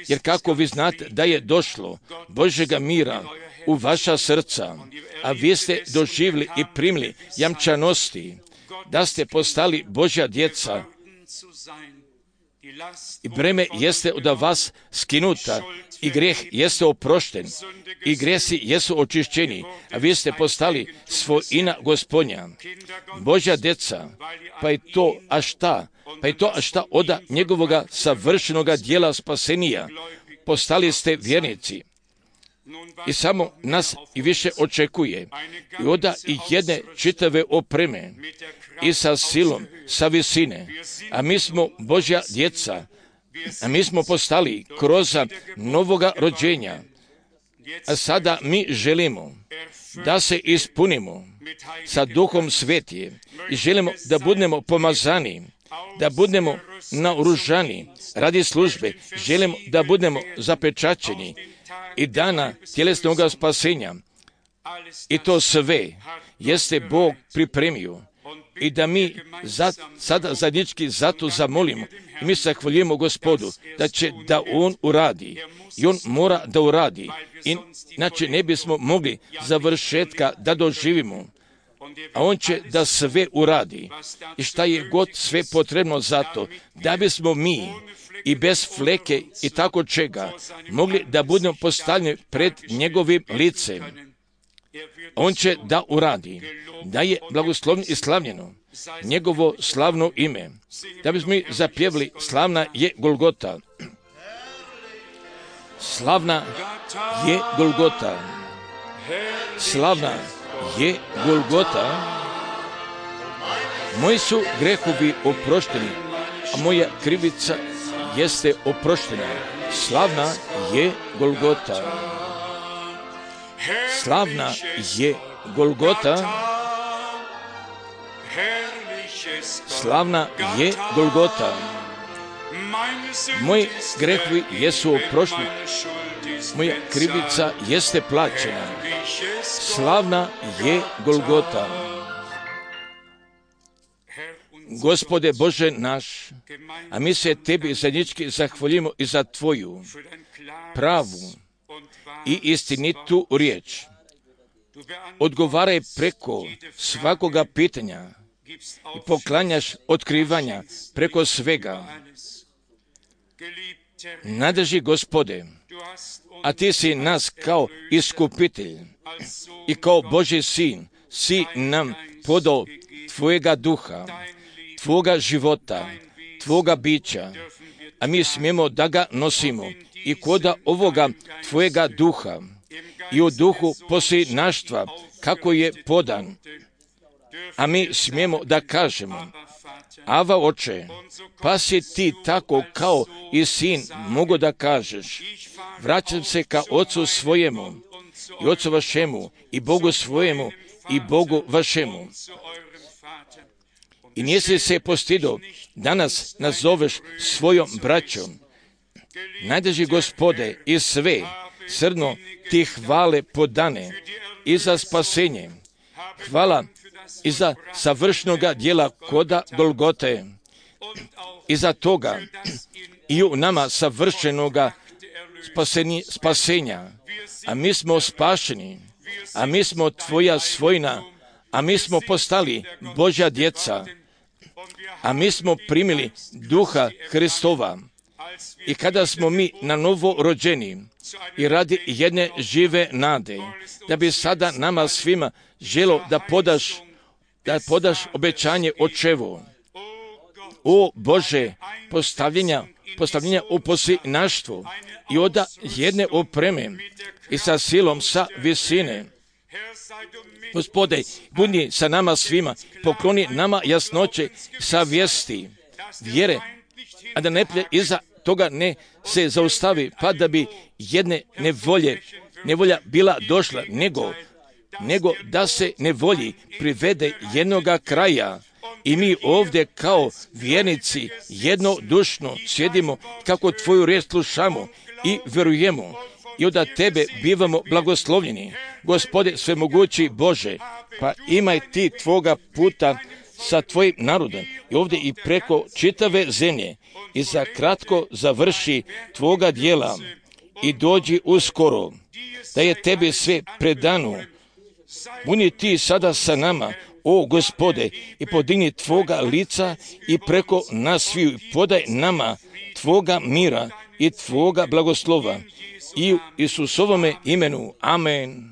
Jer kako vi znate da je došlo Božjega mira u vaša srca, a vi ste doživjeli i primili jamčanosti, da ste postali Božja djeca, i breme jeste od vas skinuta, i grijeh jeste oprošten, i grijesi jesu očišćeni, a vi ste postali svojina Gospodnja, Božja djeca, pa i to, a šta? Pa i to, a šta oda njegovoga savršenoga dijela spasenija, postali ste vjernici. I samo nas i više očekuje, i oda i jedne čitave opreme, i sa silom, sa visine, a mi smo Božja djeca, a mi smo postali kroz novoga rođenja, a sada mi želimo da se ispunimo sa Duhom Svetim i želimo da budemo pomazani, da budemo naoružani radi službe, želimo da budemo zapečaćeni i dana tjelesnog spasenja. I to sve jeste Bog pripremio, i da mi za, sada zajednički zato zamolimo i mi se hvaljujemo Gospodu da će da On uradi, i On mora da uradi, inače ne bismo mogli završetka da doživimo, a On će da sve uradi, i šta je god sve potrebno za to, da bismo mi i bez fleke i tako čega mogli da budemo postavljeni pred njegovim licem. On će da uradi, da je blagoslovno i slavljeno njegovo slavno ime. Da bismo mi zapjevali, slavna je Golgota. Slavna je Golgota. Slavna je Golgota. Moji su grehovi oprošteni, a moja krivica jeste oproštena. Slavna je Golgota. Slavna je Golgota, slavna je Golgota. Moji grehovi jesu oprošteni, moja krivica jeste plaćena. Slavna je Golgota. Gospode Bože naš, a mi se Tebi zajednički zahvaljujemo i za Tvoju pravu i istinitu riječ. Odgovaraj preko svakoga pitanja i poklanjaš otkrivanja preko svega. Nadrži Gospode, a Ti si nas kao iskupitelj i kao Božji sin si nam podao Tvojega duha, Tvoga života, Tvoga bića, a mi smijemo da ga nosimo i koda ovoga Tvojega duha i u duhu posljednaštva kako je podan, a mi smijemo da kažemo: Ava, Oče, pa si Ti tako kao i sin mogu da kažeš: vraćam se ka Ocu svojemu i Ocu vašemu i Bogu svojemu i Bogu vašemu. I nisi se postido, danas nazoveš svojom braćom. Najdraži Gospode, i sve srdno Ti hvale podane i za spasenje. Hvala i za savršnoga djela koda Golgote, i za toga i u nama savršenoga spaseni, spasenja. A mi smo spašeni, a mi smo Tvoja svojina, a mi smo postali Božja djeca, a mi smo primili duha Hristova. I kada smo mi na novo rođeni i radi jedne žive nade, da bi sada nama svima želo da podaš, da podaš obećanje Očevo. O Bože, postavljenja, postavljenja u posljednaštvu i oda jedne opreme i sa silom sa visine. Gospode, budi sa nama svima, pokloni nama jasnoće savjesti, vjere, a da neprijatelj iza toga ne se zaustavi, pa da bi jedne nevolje, nevolja bila došla, nego, nego da se nevolji privede jednoga kraja. I mi ovdje kao vjernici jednodušno sjedimo, kako Tvoju riječ slušamo i vjerujemo, i od Tebe bivamo blagoslovljeni. Gospode svemogući Bože, pa imaj Ti Tvoga puta sa Tvojim narodom i ovdje i preko čitave zemlje, i za kratko završi Tvoga djela i dođi uskoro, da je Tebi sve predano. Budi Ti sada sa nama, o Gospode, i podigni Tvoga lica i preko nas sviju podaj nama Tvoga mira i Tvoga blagoslova. I u Isusovome imenu. Amen.